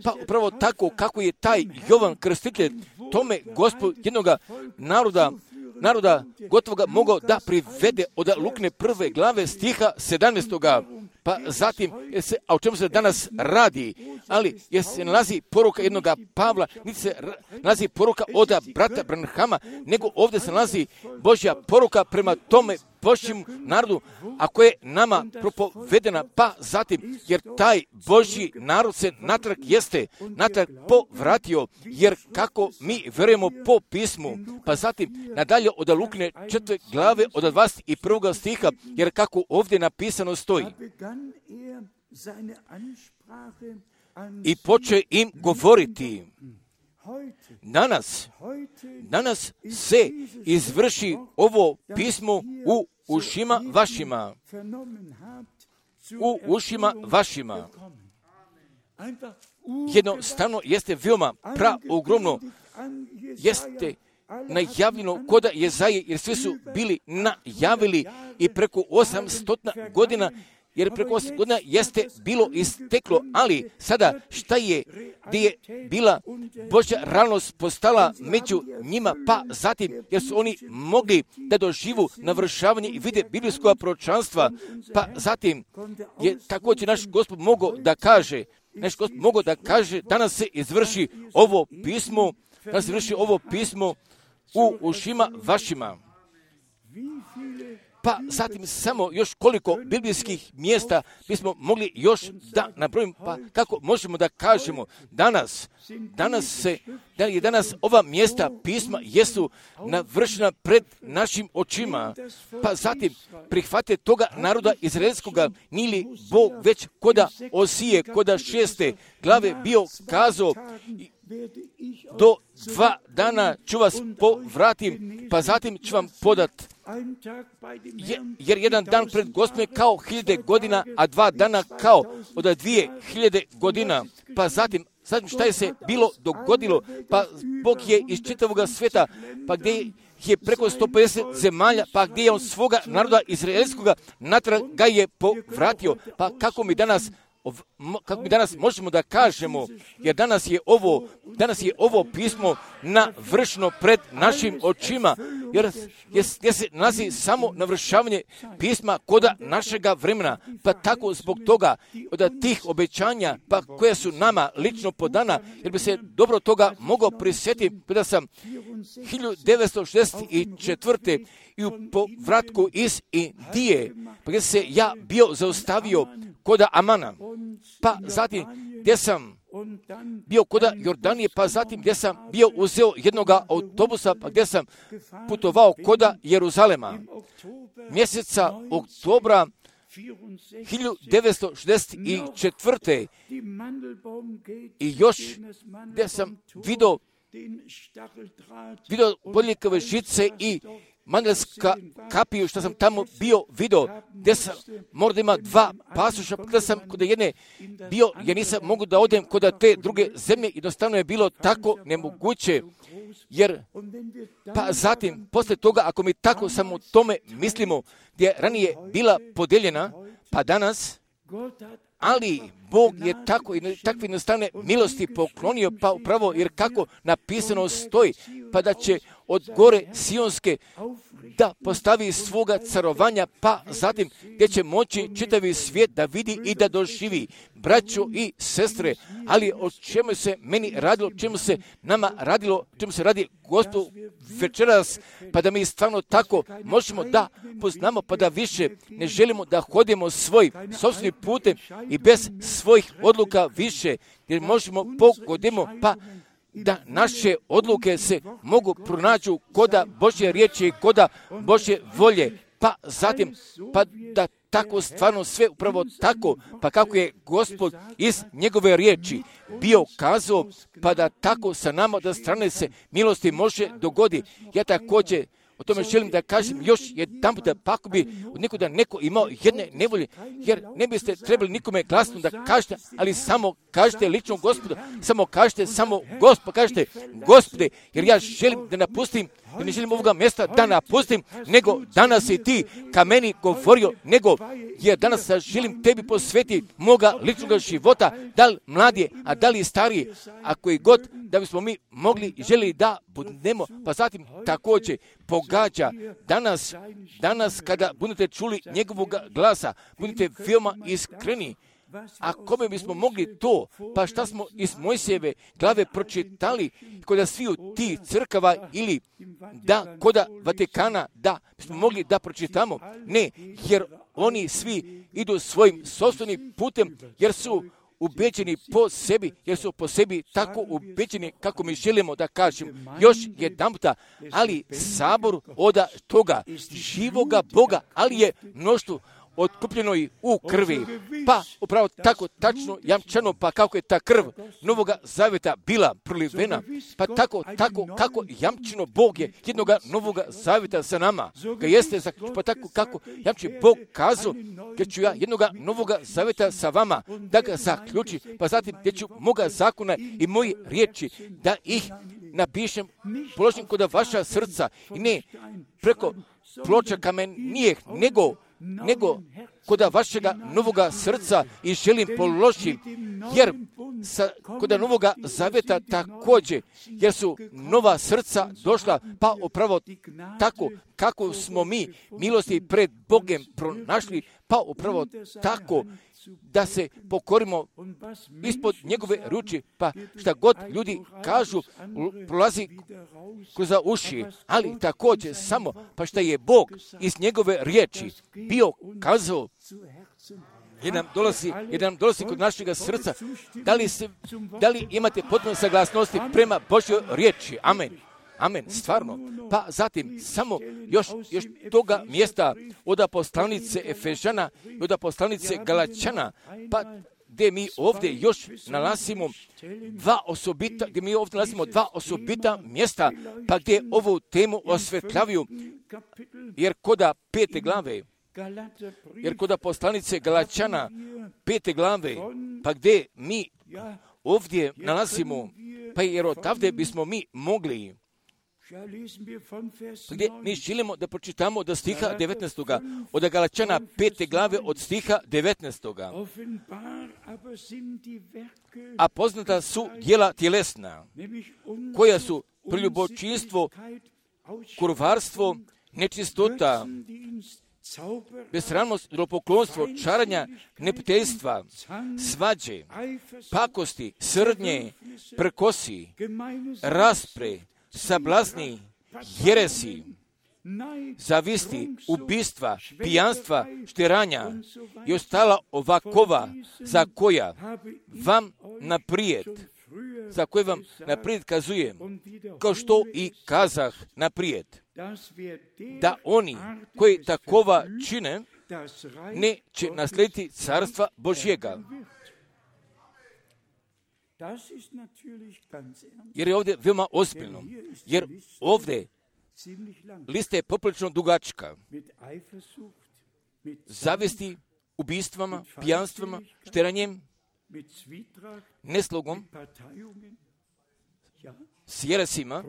Pa upravo tako kako je taj Jovan Krstitelj tome Gospod jednoga naroda naroda gotovo mogao da privede od Lukine prve glave stiha sedamnaestoga. Pa zatim, se, a o čemu se danas radi, ali jer se nalazi poruka jednoga Pavla, niti se nalazi poruka od brata Branhama, nego ovdje se nalazi Božja poruka prema tome Božjem narodu, a koje je nama propovedena, pa zatim, jer taj Božji narod se natrag jeste, natrag povratio, jer kako mi vjerujemo po pismu, pa zatim nadalje od Lukine četvrte glave od dvadeset prvog stiha, jer kako ovdje napisano stoji. I poče im govoriti, danas, danas se izvrši ovo pismo u ušima vašima, u ušima vašima. Jednostavno jeste veoma praogromno, jeste najavljeno koda Jezaje, jer svi su bili najavili i preko osamsto godina, jer preko osamsto godina jeste bilo isteklo, ali sada šta je, gdje je bila Božja realnost postala među njima, pa zatim, jer su oni mogli da doživu navršavanje i vide biblijskog proročanstva, pa zatim je također naš Gospod mogao da kaže, naš Gospod mogao da kaže, danas se izvrši ovo pismo, danas se izvrši ovo pismo u ušima vašima. Pa zatim samo još koliko biblijskih mjesta bismo mogli još da nabrojimo, pa kako možemo da kažemo danas, danas se, da je danas ova mjesta pisma jesu navršena pred našim očima, pa zatim prihvate toga naroda izraelskoga, nije li Bog već koda Osije, koda šeste glave bio kazao, do dva dana ću vas povratim, pa zatim ću vam podat. Je, jer jedan dan pred Gospodom kao hiljade godina, a dva dana kao od dvije hiljade godina. Pa zatim, zatim šta je se bilo dogodilo? Pa Bog je iz čitavoga svijeta, pa gdje je preko sto pedeset zemalja, pa gdje je on svoga naroda izraelskoga natrag ga je povratio. Pa kako mi danas kako mi danas možemo da kažemo, jer danas je ovo, danas je ovo pismo navršeno pred našim očima, jer, jer, jer se nalazi samo navršavanje pisma koda našega vremena, pa tako zbog toga, od tih obećanja, pa koje su nama lično podana, jer bi se dobro toga mogao prisjetiti, kada sam hiljadu devetsto šezdeset četvrte i u povratku iz Indije, pa gdje se ja bio zaustavio koda Amana, pa zatim gdje sam bio koda Jordanije, pa zatim gdje sam bio uzeo jednoga autobusa, pa gdje sam putovao koda Jeruzalema. Mjeseca oktobra hiljadu devetsto šezdeset četvrte i još gdje sam vidio vidio bodljikove žice i mandelska kapiju, što sam tamo bio vidio, gdje sam možda ima dva pasoša, kada sam kod jedne bio, ja nisam mogu da odem kod te druge zemlje, jednostavno je bilo tako nemoguće, jer pa zatim, posle toga, ako mi tako samo o tome mislimo, gdje ranije bila podeljena, pa danas, ali Bog je tako i takve jednostavne milosti poklonio, pa upravo jer kako napisano stoji, pa da će od gore Sionske da postavi svoga carovanja, pa zatim gdje će moći čitavi svijet da vidi i da doživi. Braćo i sestre, ali o čemu se meni radilo, čemu se nama radilo, čemu se radi Gospod večeras, pa da mi stvarno tako možemo da poznamo, pa da više ne želimo da hodimo svoj sopstveni putem i bez svojih odluka više, jer možemo pogodimo, pa da naše odluke se mogu pronađu koda Božje riječi i koda Božje volje, pa zatim, pa da tako stvarno sve upravo tako, pa kako je Gospod iz njegove riječi bio kazao, pa da tako sa nama da strane se milosti može dogodi. Ja također o tome želim da kažem još jedan puta, pa ako bi od nikoda neko imao jedne nevolje, jer ne biste trebali nikome glasno da kažete, ali samo kažete lično Gospodu, samo kažete, samo Gospod, kažete Gospode, jer ja želim da napustim, jer ne želim ovoga mjesta da napustim, nego danas si ti ka meni govorio, nego jer danas želim tebi posvetiti moga ličnog života, da li mladije, a da li stariji, ako i god da bismo mi mogli i želi da budemo, pa zatim također pogađa danas, danas kada budete čuli njegovog glasa, budete veoma iskreni. A kome bismo mogli to, pa šta smo iz Mojsijeve glave pročitali kod sviju ti crkava ili da koda Vatikana, da bismo mogli da pročitamo? Ne, jer oni svi idu svojim sopstvenim putem, jer su ubeđeni po sebi, jer su po sebi tako ubeđeni kako mi želimo da kažemo. Još jedan puta, ali sabor oda toga živoga Boga, ali je mnoštvo otkupljeno i u krvi. Pa upravo tako tačno jamčano, pa kako je ta krv Novoga Zaveta bila prolivena, pa tako, tako kako jamčino Bog je jednoga Novoga Zaveta sa nama. Ga jeste, pa tako kako jamči Bog kazao, gdje ću ja jednoga Novoga Zaveta sa vama da ga zaključi, pa zatim gdje ću moga zakona i moji riječi da ih napišem, položim kod vaša srca i ne preko ploča kamenijeh, nego nego koda vašega novoga srca i želim položiti, jer sa, koda Novoga Zaveta također, jer su nova srca došla, pa upravo tako kako smo mi milosti pred Bogem pronašli, pa upravo tako da se pokorimo ispod njegove ruči, pa šta god ljudi kažu prolazi kroz uši, ali također samo pa šta je Bog iz njegove riječi bio kazao, jer nam dolazi, jer nam dolazi kod našega srca. Da li, se, da li imate potpuno saglasnosti prema Božjoj riječi? Amen. Amen, stvarno. Pa zatim, samo još, još toga mjesta od poslanice Efežana i od poslanice Galačana, pa gdje mi ovdje još nalazimo dva osobita, gdje mi ovdje nalazimo dva osobita mjesta, pa gdje ovu temu osvetljavaju, jer koda pete glave, jer koda poslanice Galačana pete glave, pa gdje mi ovdje nalazimo, pa jer odavde bismo mi mogli gdje mi želimo da pročitamo do stiha devetnaestog. Od Galačana pete glave od stiha devetnaestog. A poznata su djela tjelesna, koja su preljubočinstvo, kurvarstvo, nečistota, besramnost, idolopoklonstvo, čaranja, neprijateljstva, svađe, pakosti, srdnje, prkosi, raspre, sablasni, jeresi, zavisti, ubistva, pijanstva, šteranja i ostala ovakova za koja vam naprijed, za koje vam naprijed kazujem, kao što i kazah naprijed, da oni koji takova čine neće naslijediti carstva Božjega. Jer je ovdje veoma ozbiljno, jer ovdje lista je poprilično dugačka. Zavisti, ubistvama, pijanstvama, šteranjem, neslogom, s jeresima,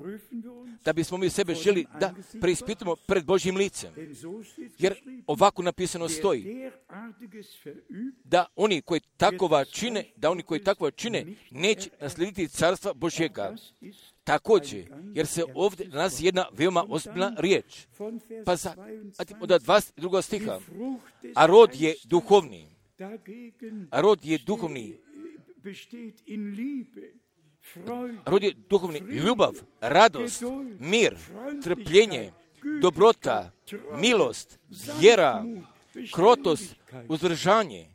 da bismo mi sebe želi da preispitamo pred Božjim licem. Jer ovako napisano stoji, da oni koji takova čine, da oni koji takova čine, neće naslijediti carstva Božjega. Također, jer se ovdje nalazi jedna veoma ozbiljna riječ. Pa za, od dvadeset drugog stiha, a rod je duhovni. A rod je duhovni. Rod je duhovni ljubav, radost, mir, trpljenje, dobrota, milost, vjera, krotost, uzdržanje.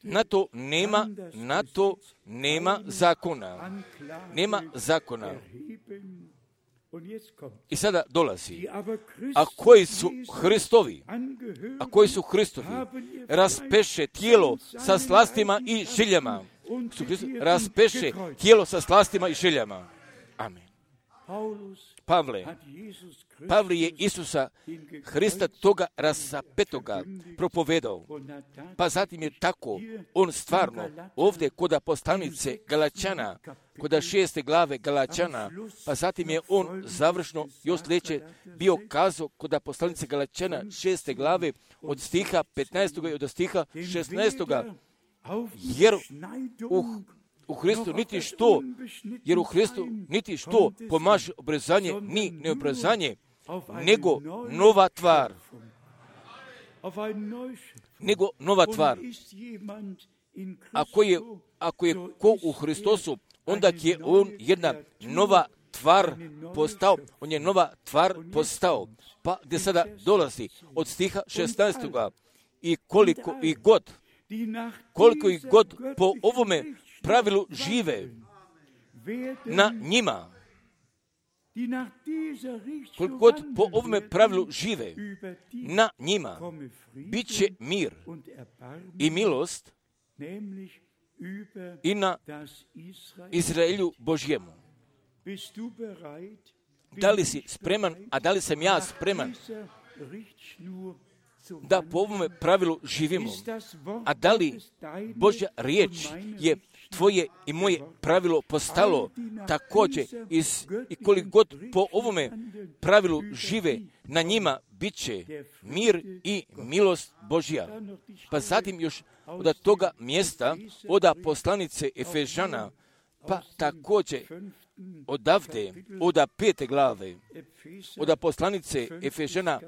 Na to nema, na to nema zakona. Nema zakona. I sada dolazi. A koji su Hristovi, a koji su Hristovi, raspeše tijelo sa slastima i željama. Raspeše tijelo sa slastima i željama. Amen. Pavle, Pavle je Isusa Hrista toga rasapetoga propovedao. Pa zatim je tako on stvarno ovdje kod poslanice Galačana, kod šeste glave Galačana, pa zatim je on završno još sljedeće bio kazao kod poslanice Galačana šeste glave od stiha petnaestog i od stiha šesnaestog. Jer u, u Hristu niti što, jer u Hristu niti što pomaže obrezanje, ni neobrezanje, nego nova tvar. Nego nova tvar. Ako je, ako je ko u Hristosu, onda je on jedna nova tvar postao, on je nova tvar postao. Pa gdje sada dolazi od stiha šesnaestog. I koliko i god, koliko i god po ovome pravilu žive na njima, koliko god po ovome pravilu žive na njima, bit će mir i milost i na Izraelju Božjemu. Da li si spreman, a da li sam ja spreman da po ovome pravilu živimo? A da li Božja riječ je tvoje i moje pravilo postalo također iz, i koliko god po ovome pravilu žive na njima, bit će mir i milost Božja. Pa zatim još od toga mjesta, od poslanice Efežana, pa također odavde, od pete glave, od poslanice Efežana,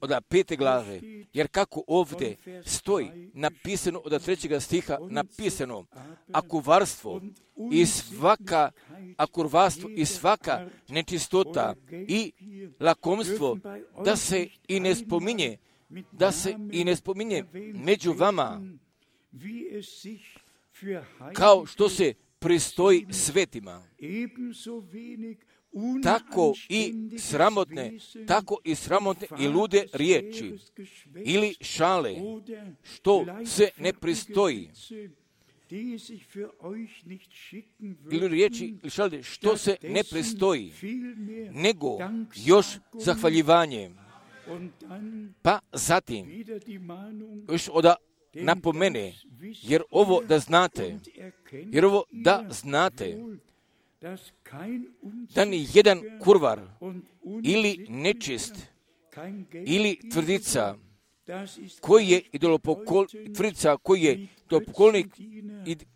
od pete glave, jer kako ovdje stoji napisano od trećega stiha, napisano, akurvarstvo i svaka, akurvarstvo i svaka nečistota i lakomstvo, da se i ne spominje, da se i ne spominje među vama, kao što se pristoji svetima. Tako i sramotne, tako i sramotne i lude riječi ili šale, što se ne pristoji. Ili riječi ili šale, što se ne pristoji, nego još zahvaljivanje. Pa zatim, još oda napomene, jer ovo da znate, jer ovo da znate, da ni jedan kurvar ili nečist ili tvrdica koji je idolopokol, tvrdica koji je idolopoklonik,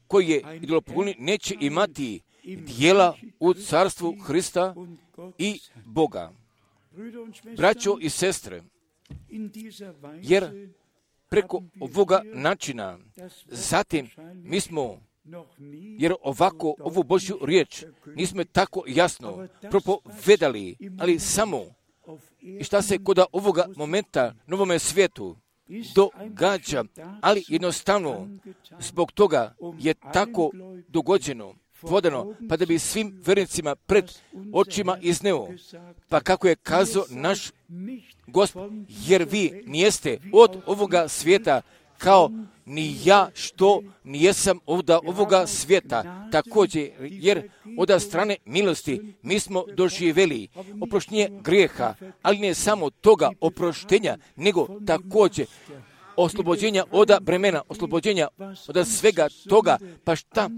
koji je idolopoklonik neće imati dijela u carstvu Hrista i Boga. Braćo i sestre, jer preko ovoga načina, zatim mi smo, jer ovako ovu Božju riječ nismo tako jasno propovedali, ali samo i šta se kod ovoga momenta novome svijetu događa, ali jednostavno zbog toga je tako dogođeno, vodano, pa da bi svim vjernicima pred očima izneo, pa kako je kazao naš Gospod, jer vi nijeste od ovoga svijeta, kao ni ja što nijesam od ovoga svijeta. Također, jer od strane milosti mi smo doživjeli oproštenje grijeha, ali ne samo toga oproštenja, nego također oslobođenja od bremena, oslobođenja od svega toga, pa šta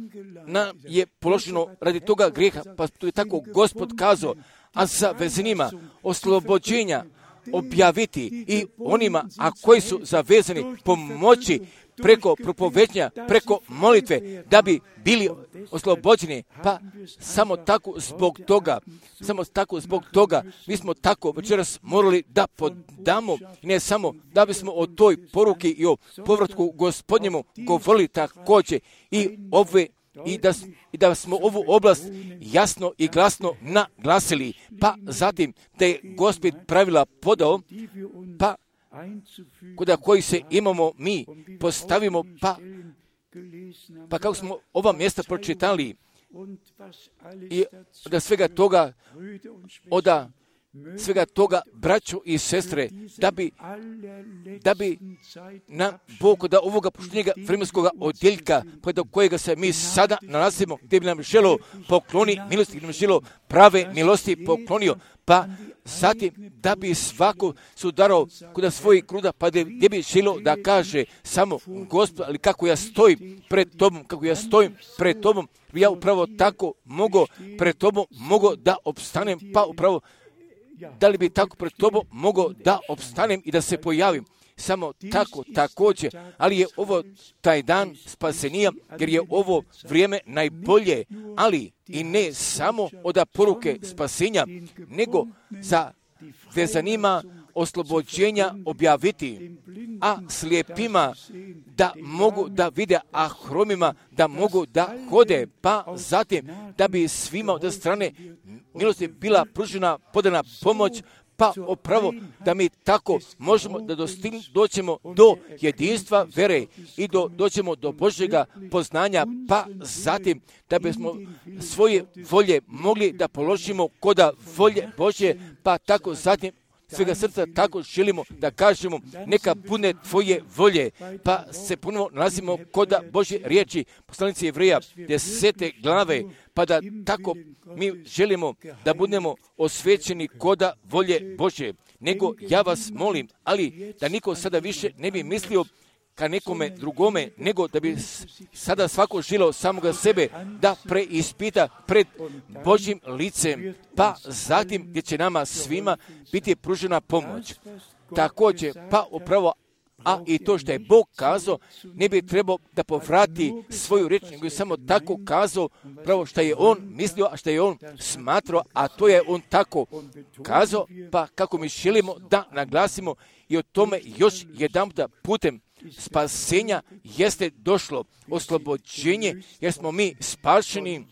nam je položeno radi toga grijeha, pa to je tako Gospod kazao, a za vezenima oslobođenja objaviti i onima, a koji su zavezani, pomoći preko propovednja, preko molitve, da bi bili oslobođeni. Pa samo tako zbog toga, samo tako zbog toga, mi smo tako večeras morali da podamo, ne samo da bismo o toj poruki i o povratku Gospodnjemu govorili također i ove I da, i da smo ovu oblast jasno i glasno naglasili, pa zatim da je Gospod pravila podao, pa kod koji se imamo mi postavimo, pa, pa kako smo ova mjesta pročitali i da svega toga, oda svega toga, braćo i sestre, da bi, da bi nam Bog da ovoga poštenjega vremenskoga odjeljka, do kojega se mi sada nalazimo, gdje bi nam želo pokloni milosti, gdje bi nam želo prave milosti poklonio, pa zatim da bi svako sudarao kuda svojih kruda, pa gdje bi želo da kaže samo Gospod, ali kako ja stojim pred tobom, kako ja stojim pred tobom, ja upravo tako mogu pred tobom, mogu da opstanem, pa upravo da li bi tako pred tobom mogao da opstanem i da se pojavim. Samo tako, također, ali je ovo taj dan spasenija, jer je ovo vrijeme najbolje, ali i ne samo od poruke spasenja, nego za vezanima oslobođenja objaviti, a slijepima da mogu da vide, a hromima da mogu da hode, pa zatim da bi svima od strane milosti bila pružena, podana pomoć, pa opravo da mi tako možemo da dostign, doćemo do jedinstva vere i do, doćemo do Božjega poznanja, pa zatim da bismo svoje volje mogli da položimo koda volje Božje, pa tako zatim svega srca tako želimo da kažemo neka bude tvoje volje, pa se ponovo nalazimo koda Božje riječi, poslanici Jevreja desete glave, pa da tako mi želimo da budemo osvećeni koda volje Božje. Nego ja vas molim, ali da niko sada više ne bi mislio ka nekome drugome, nego da bi sada svako želio samoga sebe da preispita pred Božjim licem, pa zatim gdje će nama svima biti pružena pomoć. Također, pa upravo, a i to što je Bog kazao, ne bi trebao da povrati svoju riječ, nego je samo tako kazao, pravo što je on mislio, a što je on smatrao, a to je on tako kazao, pa kako mi želimo da naglasimo i o tome još jedan putem spasenja jeste došlo oslobođenje, jer smo mi spašeni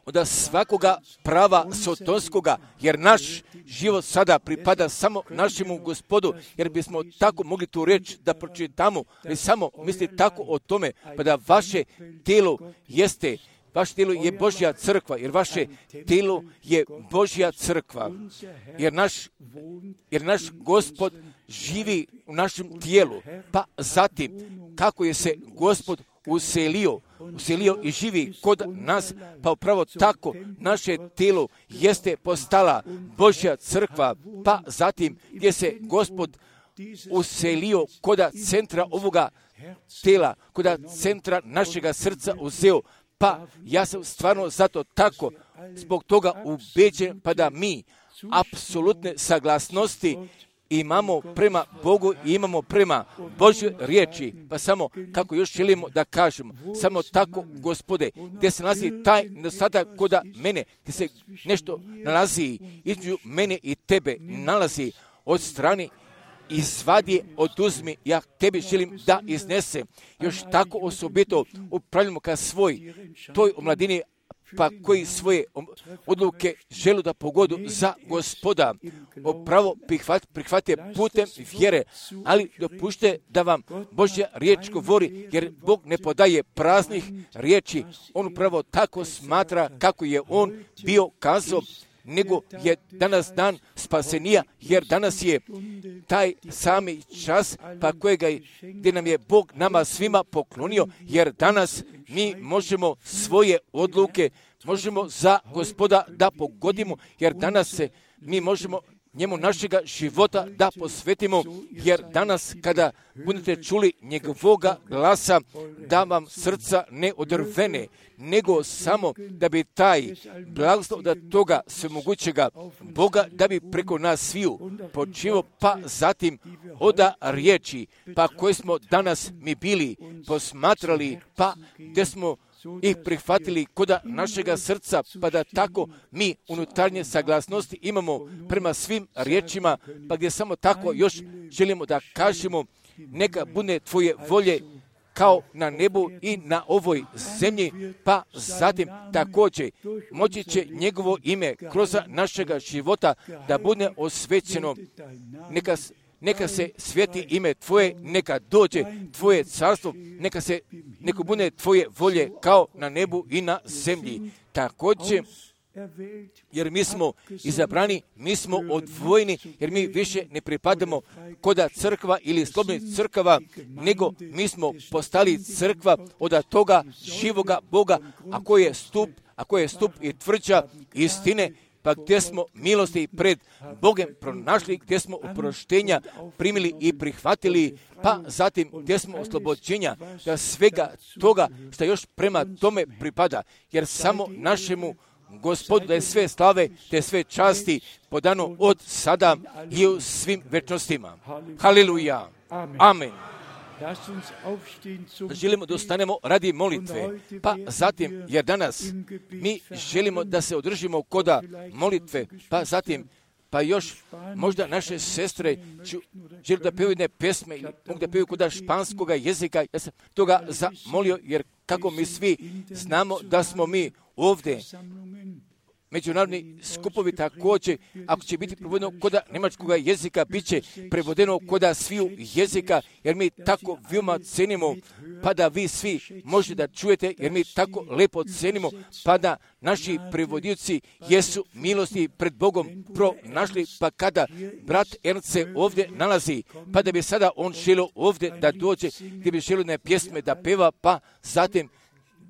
od svakoga prava sotonskoga, jer naš život sada pripada samo našemu Gospodu, jer bismo tako mogli tu reći da pročitamo, ali samo mislite tako o tome, pa da vaše tijelo jeste Vaše tijelo je Božja crkva, jer vaše tijelo je Božja crkva, jer naš, jer naš Gospod živi u našem tijelu. Pa zatim, kako je se Gospod uselio, uselio i živi kod nas, pa upravo tako naše tijelo jeste postala Božja crkva, pa zatim gdje se Gospod uselio koda centra ovoga tijela, koda centra našega srca uzeo, Pa ja sam stvarno zato tako, zbog toga ubeđen, pa da mi apsolutne saglasnosti imamo prema Bogu i imamo prema Božjoj riječi. Pa samo kako još želimo da kažemo, samo tako, Gospode, gdje se nalazi taj nedostatak kod mene, gdje se nešto nalazi između mene i tebe, nalazi od strane, izvadi, oduzmi, ja tebi želim da iznesem. Još tako osobito upravljamo ka svoj, toj omladini, pa koji svoje odluke žele da pogodu za Gospoda, opravo prihvat, prihvate putem vjere, ali dopušte da vam Božja riječ govori, jer Bog ne podaje praznih riječi, on upravo tako smatra kako je on bio kazao, nego je danas dan spasenija, jer danas je taj sami čas pa kojega je, gdje nam je Bog nama svima poklonio, jer danas mi možemo svoje odluke, možemo za Gospoda da pogodimo, jer danas se mi možemo njemu našega života da posvetimo, jer danas kada budete čuli njegovoga glasa, da vam srca ne odrvene, nego samo da bi taj blagoslov da toga svemogućega Boga, da bi preko nas sviju počivao, pa zatim oda riječi, pa koje smo danas mi bili posmatrali, pa gdje smo ih prihvatili koda našega srca, pa da tako mi unutarnje saglasnosti imamo prema svim riječima, pa gdje samo tako još želimo da kažemo, neka bude tvoje volje kao na nebu i na ovoj zemlji, pa zatim također moći će njegovo ime kroz našega života da bude osvećeno. Neka Neka se sveti ime tvoje, neka dođe tvoje carstvo, neka se, neka bude tvoje volje kao na nebu i na zemlji. Također, jer mi smo izabrani, mi smo odvojeni, jer mi više ne pripadamo koda crkva ili slobodnih crkava, nego mi smo postali crkva od toga živoga Boga, a koji je stup, a koji je stup i tvrđa istine, pa gdje smo milosti pred Bogem pronašli, gdje smo oproštenja primili i prihvatili, pa zatim gdje smo oslobođenja da svega toga što još prema tome pripada, jer samo našemu Gospodu da je sve slave, te sve časti podano od sada i u svim večnostima. Haleluja. Amen. Želimo da ustanemo radi molitve, pa zatim, jer danas mi želimo da se održimo koda molitve, pa zatim, pa još možda naše sestre žele da pevaju jedne pjesme ili mogu da pevaju koda španskoga jezika. Ja sam toga zamolio, jer kako mi svi znamo da smo mi ovdje, međunarodni skupovi također, ako će biti prevodeno koda njemačkog jezika, bit će prevodeno koda sviju jezika, jer mi tako veoma cenimo, pa da vi svi možete da čujete, jer mi tako lepo cenimo, pa da naši prevodioci jesu milosti pred Bogom pronašli, pa kada brat Ernst se ovdje nalazi, pa da bi sada on želio ovdje da dođe, gdje bi želio ne pjesme da peva, pa zatim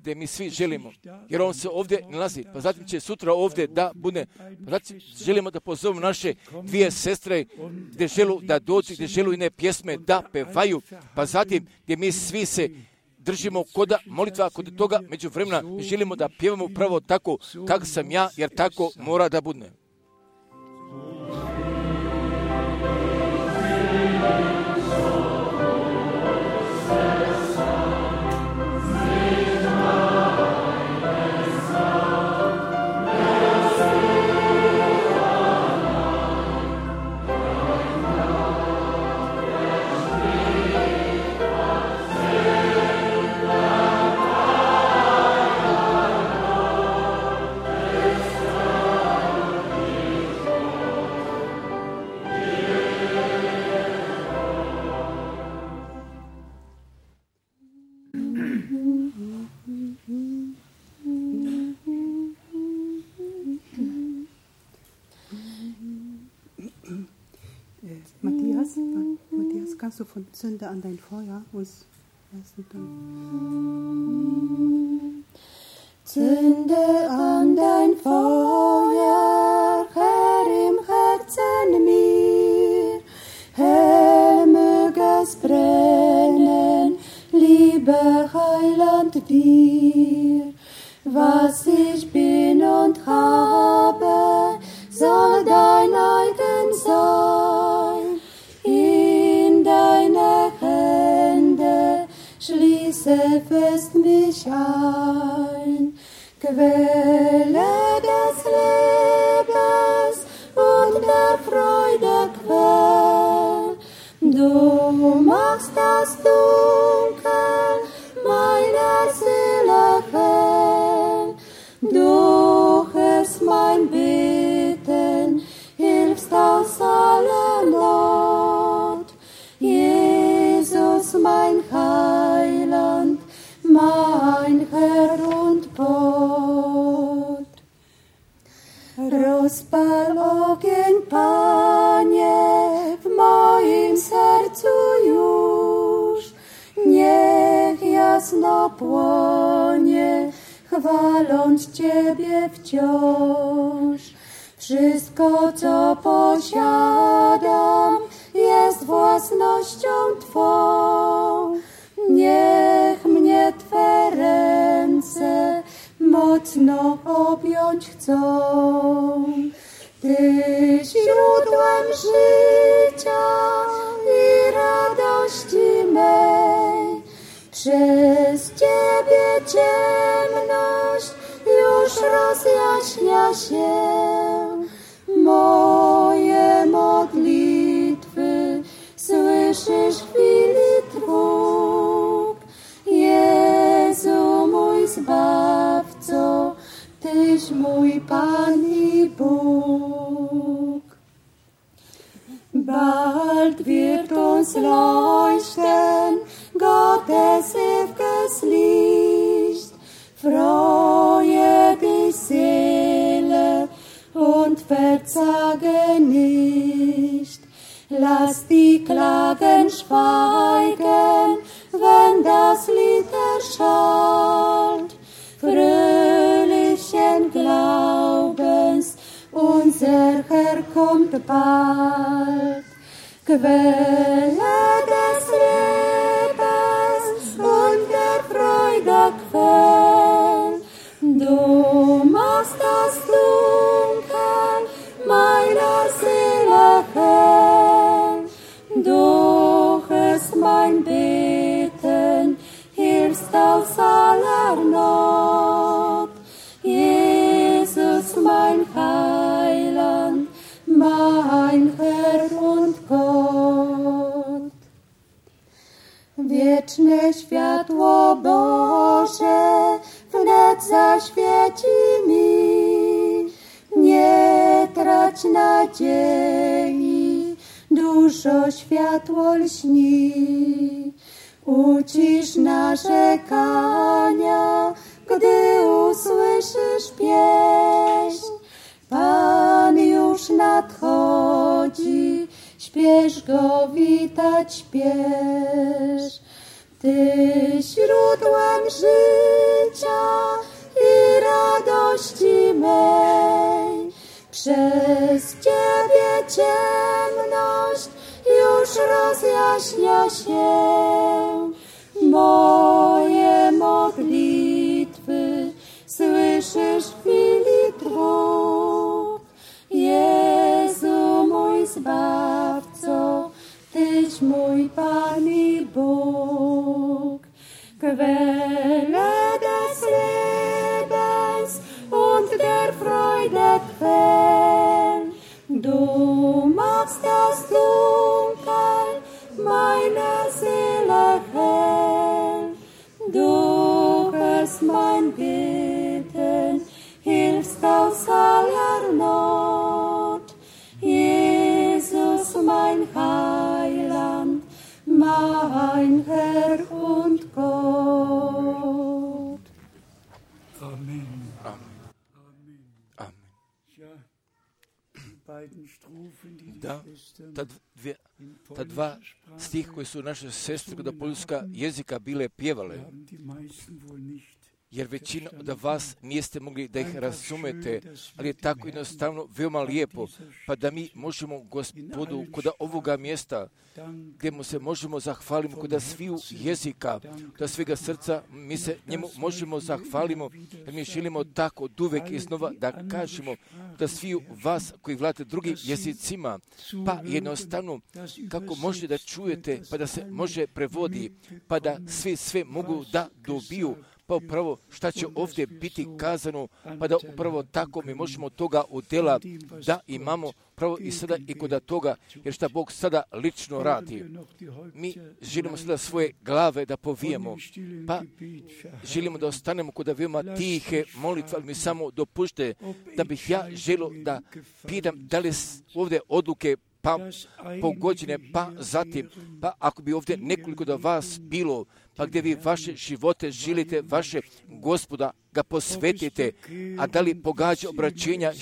gdje mi svi želimo, jer on se ovdje nalazi, pa zatim će sutra ovdje da bude, pa zatim želimo da pozovemo naše dvije sestre gdje želu da dođu, gdje želu i ne pjesme da pevaju, pa zatim gdje mi svi se držimo koda molitva, kod toga među vremena želimo da pjevamo pravo tako kako sam ja, jer tako mora da bude. Kannst du von Zünde an dein Feuer uns lassen dann? Zünde an dein Feuer, Herr, im Herzen mir, Herr, möge es brennen, liebe Heiland dir. säfest mich ein, Quelle des Lebens und der Freude Quell. Du machst das Dunkel meiner Seele hell, durch es mein Beten hilfst aus aller Not. Jesus, mein Heiland, mein Herr und Gott. Rozpal ogień, Panie, w moim sercu już, niech jasno płonie, chwaląc Ciebie wciąż. Wszystko, co posiadam, jest własnością Twą. Niech mnie Twe ręce mocno objąć chcą. Ty źródłem życia i radości mej, przez Ciebie ciemność już rozjaśnia się. Moje modlitwy słyszysz w chwili trud. Jezu, mój Zbawco, Tyś mój Pan i Bóg. Bald wird uns leuchten Gottes ewiges Licht. Freue dich, Seele, und verzage nicht. Lass die Klagen schweigen, wenn das Lied erschallt. Fröhlichen Glaubens, unser Herr kommt bald. Quelle des Lebens und der Freude Quell. Du machst das Dunkel meiner Seele hell. Durch es mein Beten hilfst aus aller Not. Jesus, mein Heiland, mein Herr und Gott. Wieczne światło Boże wnet zaświeci mi. Nie trać nadziei, duszo światło lśni. Ucisz narzekania, gdy usłyszysz pieśń. Pan już nadchodzi, śpiesz go witać, śpiesz. Ty źródłem życia i radości mej, przez Ciebie ciemność już rozjaśnia się. Moje modlitwy słyszysz w chwili trud. Jezu, mój Zbawco, Tyś mój Pan i Bóg. Quelle des Lebens und der Freude Quell. Du machst das Dunkel meiner Seele hell. Durch es mein Beten hilfst aus aller Not. Jesus, mein Heiland, mein Herr und Gott. Amen. Amen. Amen. Da, ta, dvije, ta dva stih koji su naše sestre do poljska jezika bile pjevale, jer većina od vas niste mogli da ih razumete, ali je tako jednostavno veoma lijepo, pa da mi možemo Gospodu kod ovoga mjesta, gdje mu se možemo zahvaliti kod sviju jezika, da svega srca mi se njemu možemo zahvalimo, jer mi želimo tako od uvek iznova da kažemo da sviju vas koji vladate drugim jezicima, pa jednostavno kako možete da čujete, pa da se može prevodi, pa da svi sve mogu da dobiju, pa upravo šta će ovdje biti kazano, pa da upravo tako mi možemo toga udjela da imamo pravo i sada i kod toga, jer šta Bog sada lično radi. Mi želimo sada svoje glave da povijemo, pa želimo da ostanemo kod veoma tihe molitve, ali mi samo dopušte da bih ja želio da pitam da li ovdje odluke pa pogođene, pa zatim, pa ako bi ovdje nekoliko do vas bilo, pa gdje vi vaše živote želite, vaše Gospoda ga posvetite, a da li pogađa obraćenja,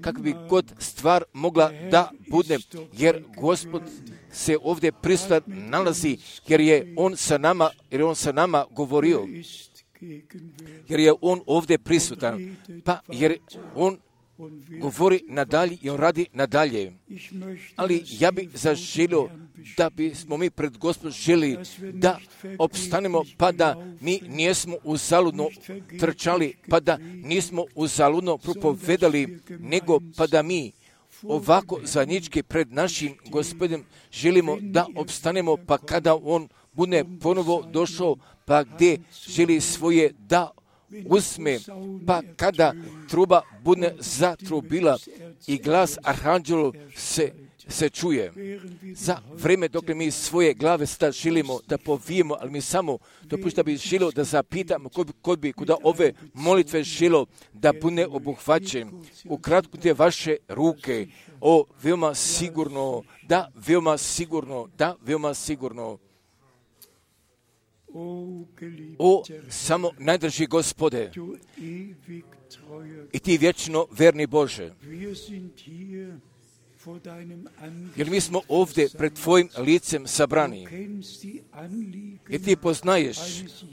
kako bi god stvar mogla da bude, jer Gospod se ovdje prisutan nalazi, jer je On sa nama, jer je On sa nama govorio, jer je On ovdje prisutan, pa jer On govori nadalje i On radi nadalje. Ali ja bih zaželio da bismo mi pred Gospodom želi da opstanemo, pa da mi nismo uzaludno trčali, pa da nismo uzaludno propovedali, nego pa da mi ovako zajednički pred našim Gospodom želimo da opstanemo, pa kada On bude ponovo došao, pa gdje želi svoje da usme, pa kada truba bude zatrubila i glas arhanđelu se, se čuje. Za vreme dok mi svoje glave sada želimo da povijemo, ali mi samo dopušta da bi želio da zapitamo ko bi, ko bi kuda ove molitve želio da bude obuhvaćen. Ukratko te vaše ruke, o veoma sigurno, da veoma sigurno, da veoma sigurno. O, samo najdrži Gospode, i ti vječno verni Bože, jer mi smo ovdje pred Tvojim licem sabrani, jer ti poznaješ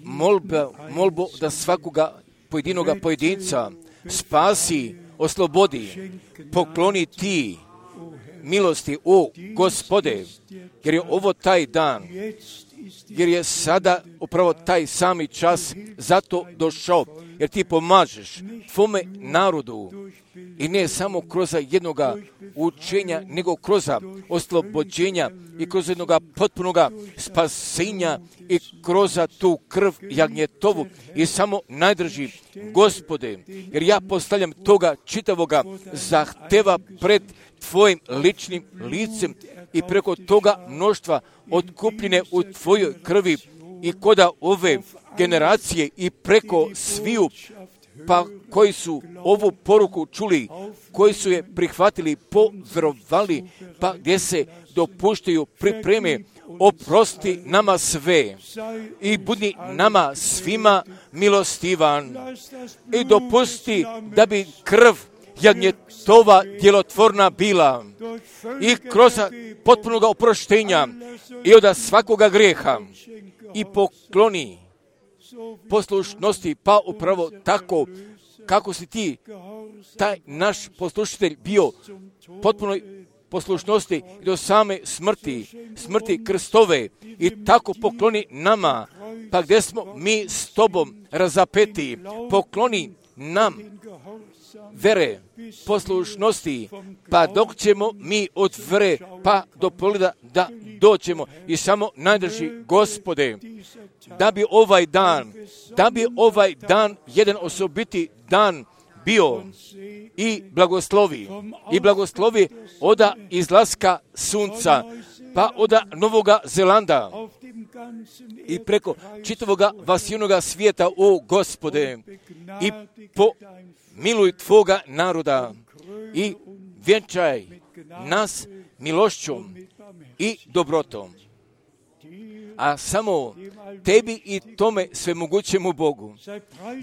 molba, molbu da svakoga pojedinoga pojedinca spasi, oslobodi, pokloni ti milosti, o Gospode, jer je ovo taj dan, jer je sada upravo taj sami čas zato došao, jer ti pomažeš tvome narodu i ne samo kroz jednoga učenja, nego kroz oslobođenja i kroz jednoga potpunoga spasenja i kroz tu krv jagnjetovu i samo najdrži Gospode, jer ja postavljam toga čitavoga zahteva pred Tvojim ličnim licem i preko toga mnoštva otkupljene u Tvojoj krvi i koda ove generacije i preko sviju, pa koji su ovu poruku čuli, koji su je prihvatili, povjerovali, pa gdje se dopuštaju pripreme, oprosti nama sve i budi nama svima milostivan i dopusti da bi krv jagnjetova djelotvorna bila i kroz potpunoga oproštenja i od svakoga grijeha i pokloni poslušnosti, pa upravo tako kako si ti, taj naš poslušitelj bio potpunoj poslušnosti i do same smrti, smrti Kristove i tako pokloni nama, pa gdje smo mi s Tobom razapeti, pokloni nam vere, poslušnosti, pa dok ćemo mi od vere pa do pogleda da doćemo i samo najdrži Gospode, da bi ovaj dan, da bi ovaj dan jedan osobiti dan bio i blagoslovi, i blagoslovi oda izlaska sunca, pa oda Novoga Zelanda i preko čitavoga vasijnoga svijeta, o Gospode, i po miluj Tvoga naroda i vjenčaj nas milošćom i dobrotom. A samo Tebi i tome svemogućemu Bogu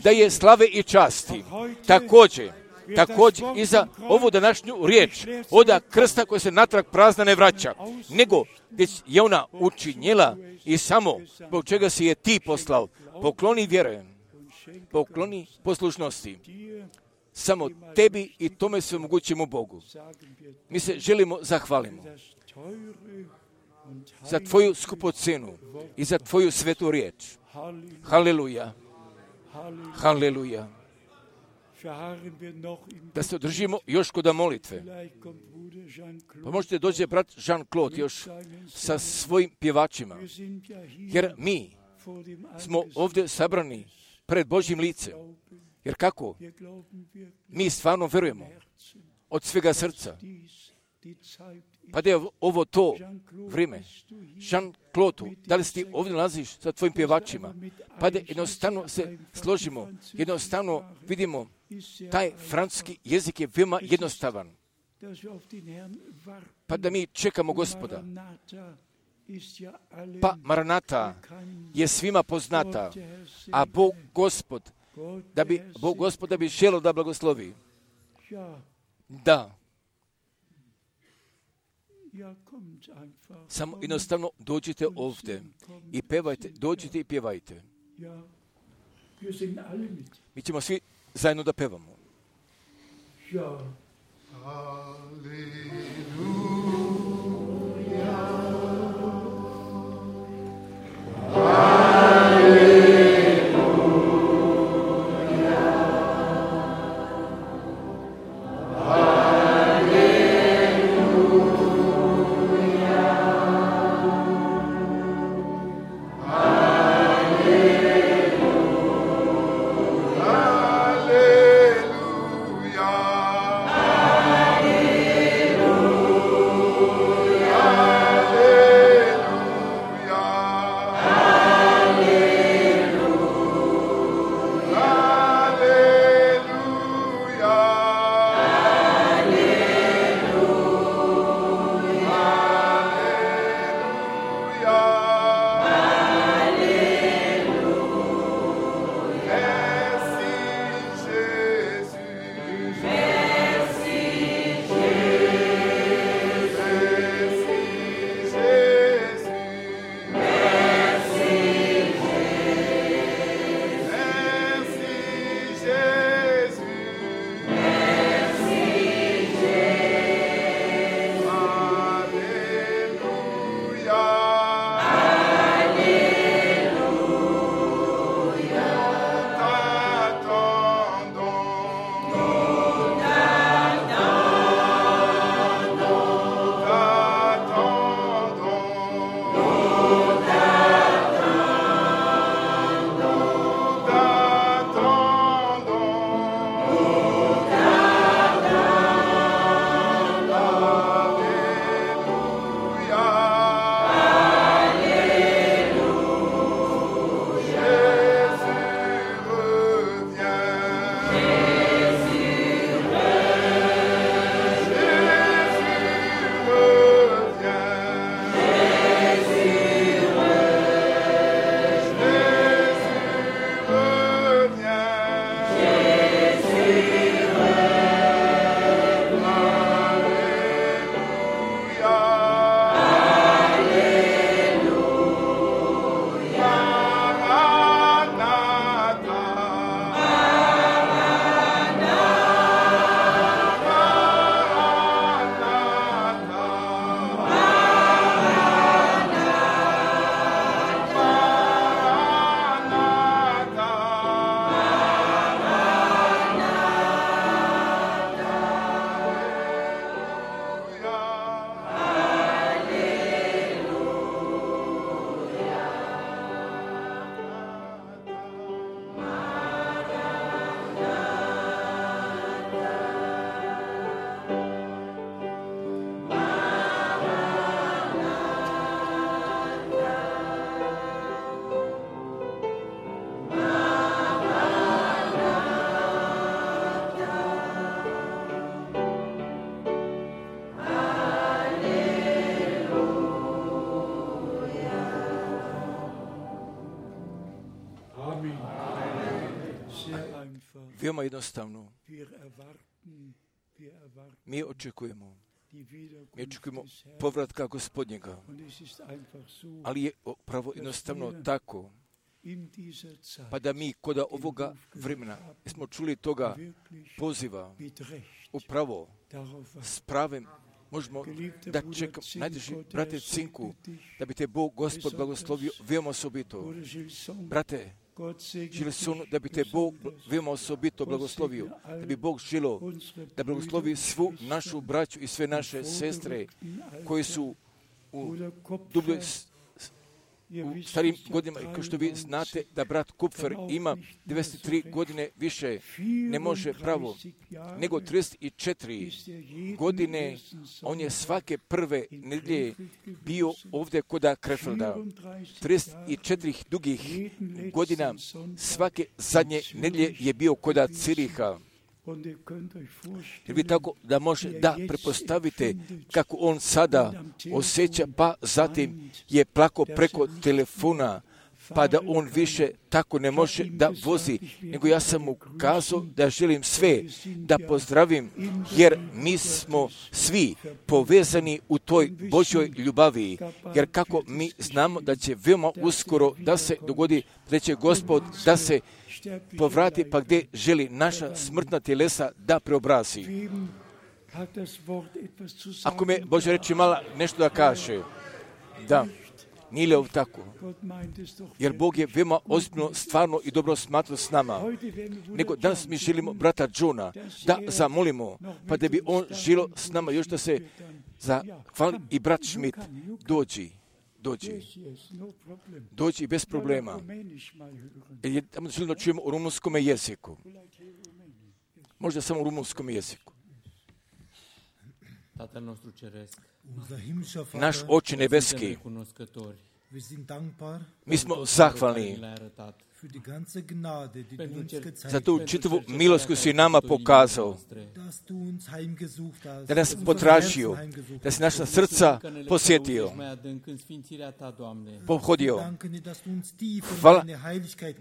da je slave i časti. Također, također i za ovu današnju riječ oda krsta koja se natrag prazna ne vraća, nego već je ona učinjela i samo zbog čega si je Ti poslao. Pokloni vjerujem pokloni poslušnosti. Samo tebi i tome svemogućemu Bogu. Mi se želimo zahvalimo za tvoju skupocenu i za tvoju svetu riječ. Haleluja. Haleluja. Da se održimo još kod molitve. Pa možete dođe brat Jean-Claude još sa svojim pjevačima. Jer mi smo ovdje sabrani pred Božjim licem. Jer kako? Mi stvarno verujemo od svega srca. Pa da je ovo to vrijeme. Jean-Claude, da li si ti ovdje nalaziš sa tvojim pjevačima? Pa da jednostavno se složimo, jednostavno vidimo, taj francuski jezik je veoma jednostavan. Pa da mi čekamo Gospoda. Pa Maranata je svima poznata, a Bog Gospod, da bi Bog Gospod da bi želio da blagoslovi. Da. Samo jednostavno dođite ovdje i pevajte, dođite i pjevajte. Mi ćemo svi zajedno da pevamo. Veoma jednostavno. Mi očekujemo. Mi očekujemo povratka Gospodnjega. Ali je pravo jednostavno tako. pa da mi kod ovoga vremena smo čuli toga poziva upravo s pravim možemo da čekam, najteži, brate Cinku, da bi te Bog, Gospod, blagoslovio veoma osobito. Brate, Žilson, da bi te Bog veoma osobito blagoslovio, da bi Bog želio da blagoslovi svu našu braću i sve naše sestre koji su u dubljoj u starim godinama, kao što vi znate da brat Kupfer ima devedeset tri godine više, ne može pravo, nego trideset četiri godine, on je svake prve nedjelje bio ovdje koda Krefelda. trideset četiri dugih godina, svake zadnje nedjelje je bio koda Ciriha. Jer vi tako da može da prepostavite kako on sada osjeća, pa zatim je plako preko telefona, pa da on više tako ne može da vozi, nego ja sam mu kazao da želim sve da pozdravim, jer mi smo svi povezani u toj Božjoj ljubavi, jer kako mi znamo da će veoma uskoro da se dogodi, da će Gospod da se povrati pa gdje želi naša smrtna tjelesa da preobrazi. Ako me Bože reći mala nešto da kaže, da, nije li ovo tako? Jer Bog je veoma ozbiljno, stvarno i dobro smatrao s nama. Nego danas mi želimo brata Johna da zamolimo, pa da bi on želio s nama još da se zahvali i brat Schmidt dođi. Dođi. Dođi bez problema. Jer tamo želimo da čujemo u rumunskom jeziku. Možda samo u rumunskom jeziku. Naš Oče nebeski, mi smo zahvalni za tu čitavu milost koju si nama pokazao, da nas potražio, da si naša srca posjetio, pohodio. Hvala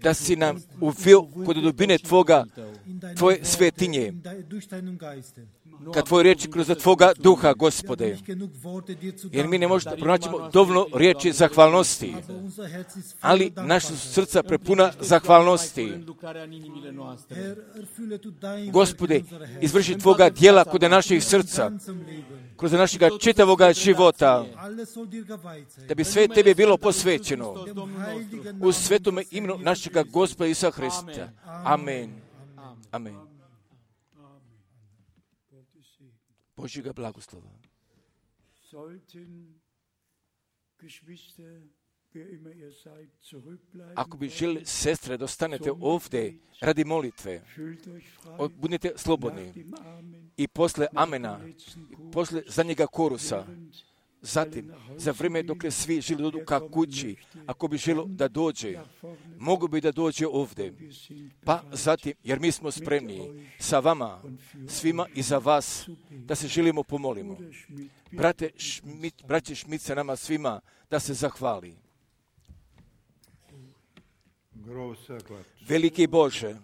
da si nam uveo kod dubine Tvoga, Tvoje svetinje, kad Tvoje riječi kroz Tvoga duha, Gospode. Jer mi ne možemo da pronaćemo dovoljno riječi zahvalnosti, ali naša srca prepuna zahvalnosti. Gospode, izvrši Tvoga djela kod naših srca, kroz našega čitavoga života, da bi sve Tebi bilo posvećeno u svetom imenu našega Gospoda Isusa Hrista. Amen. Amen. Božjega blagoslova. Ako bi želi, sestre, da ostanete ovdje radi molitve, budite slobodni i posle amena, posle zadnjega korusa, zatim, za vrijeme dok svi želi dođu ka kući, ako bi želo da dođe, mogu bi da dođe ovdje. Pa zatim, jer mi smo spremni sa vama, svima i za vas, da se želimo pomolimo. Brate Šmit, braće Šmit sa nama svima, da se zahvali. Veliki Bože,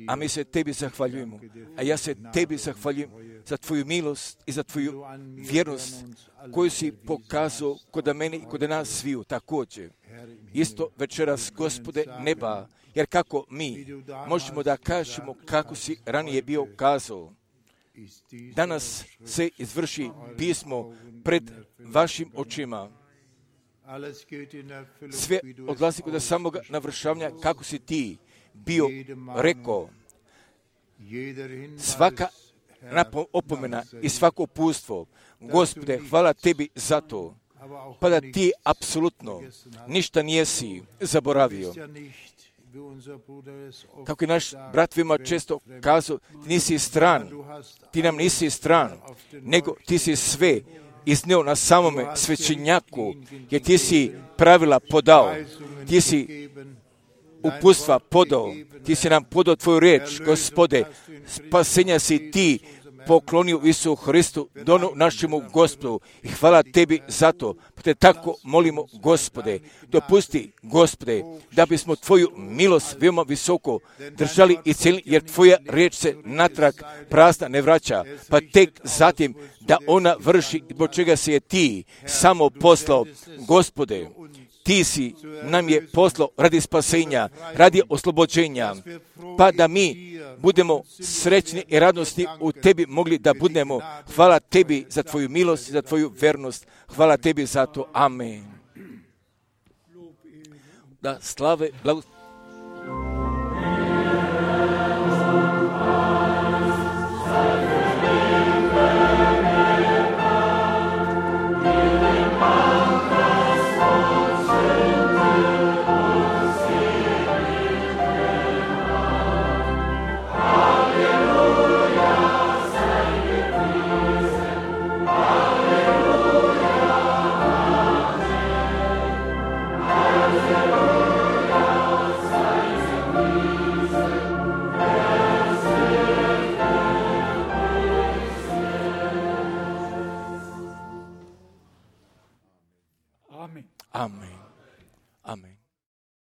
a mi se Tebi zahvaljujemo, a ja se Tebi zahvaljujem za Tvoju milost i za Tvoju vjernost koju si pokazao kod mene i kod nas sviju također. Isto večeras, Gospode neba, jer kako mi možemo da kažemo kako si ranije bio kazao. Danas se izvrši pismo pred vašim očima. Sve odlazi kod samoga navršavanja kako si ti bio rekao. Svaka opomena i svako upustvo, Gospode, hvala Tebi za to, pa da ti apsolutno ništa nijesi zaboravio. Kako je naš brat veoma često kazao, ti nisi stran, ti nam nisi stran, nego ti si sve izneo na samome svećenjaku, jer ti si pravila podao, ti si upustva podao, ti si nam podao Tvoju riječ, Gospode, spasenja si ti poklonio Isu Hristu, donu našemu Gospodu i hvala Tebi za to. Pa te tako molimo, Gospode, dopusti, Gospode, da bismo Tvoju milost veoma visoko držali i cijelili, jer Tvoja riječ se natrag prazna ne vraća, pa tek zatim da ona vrši zbog čega se je ti samo poslao, Gospode. ti si nam je poslao radi spasenja, radi oslobođenja, pa da mi budemo srećni i radosni u tebi mogli da budemo. Hvala tebi za tvoju milost i za tvoju vernost. Hvala tebi za to. Amen. Da slave, blago,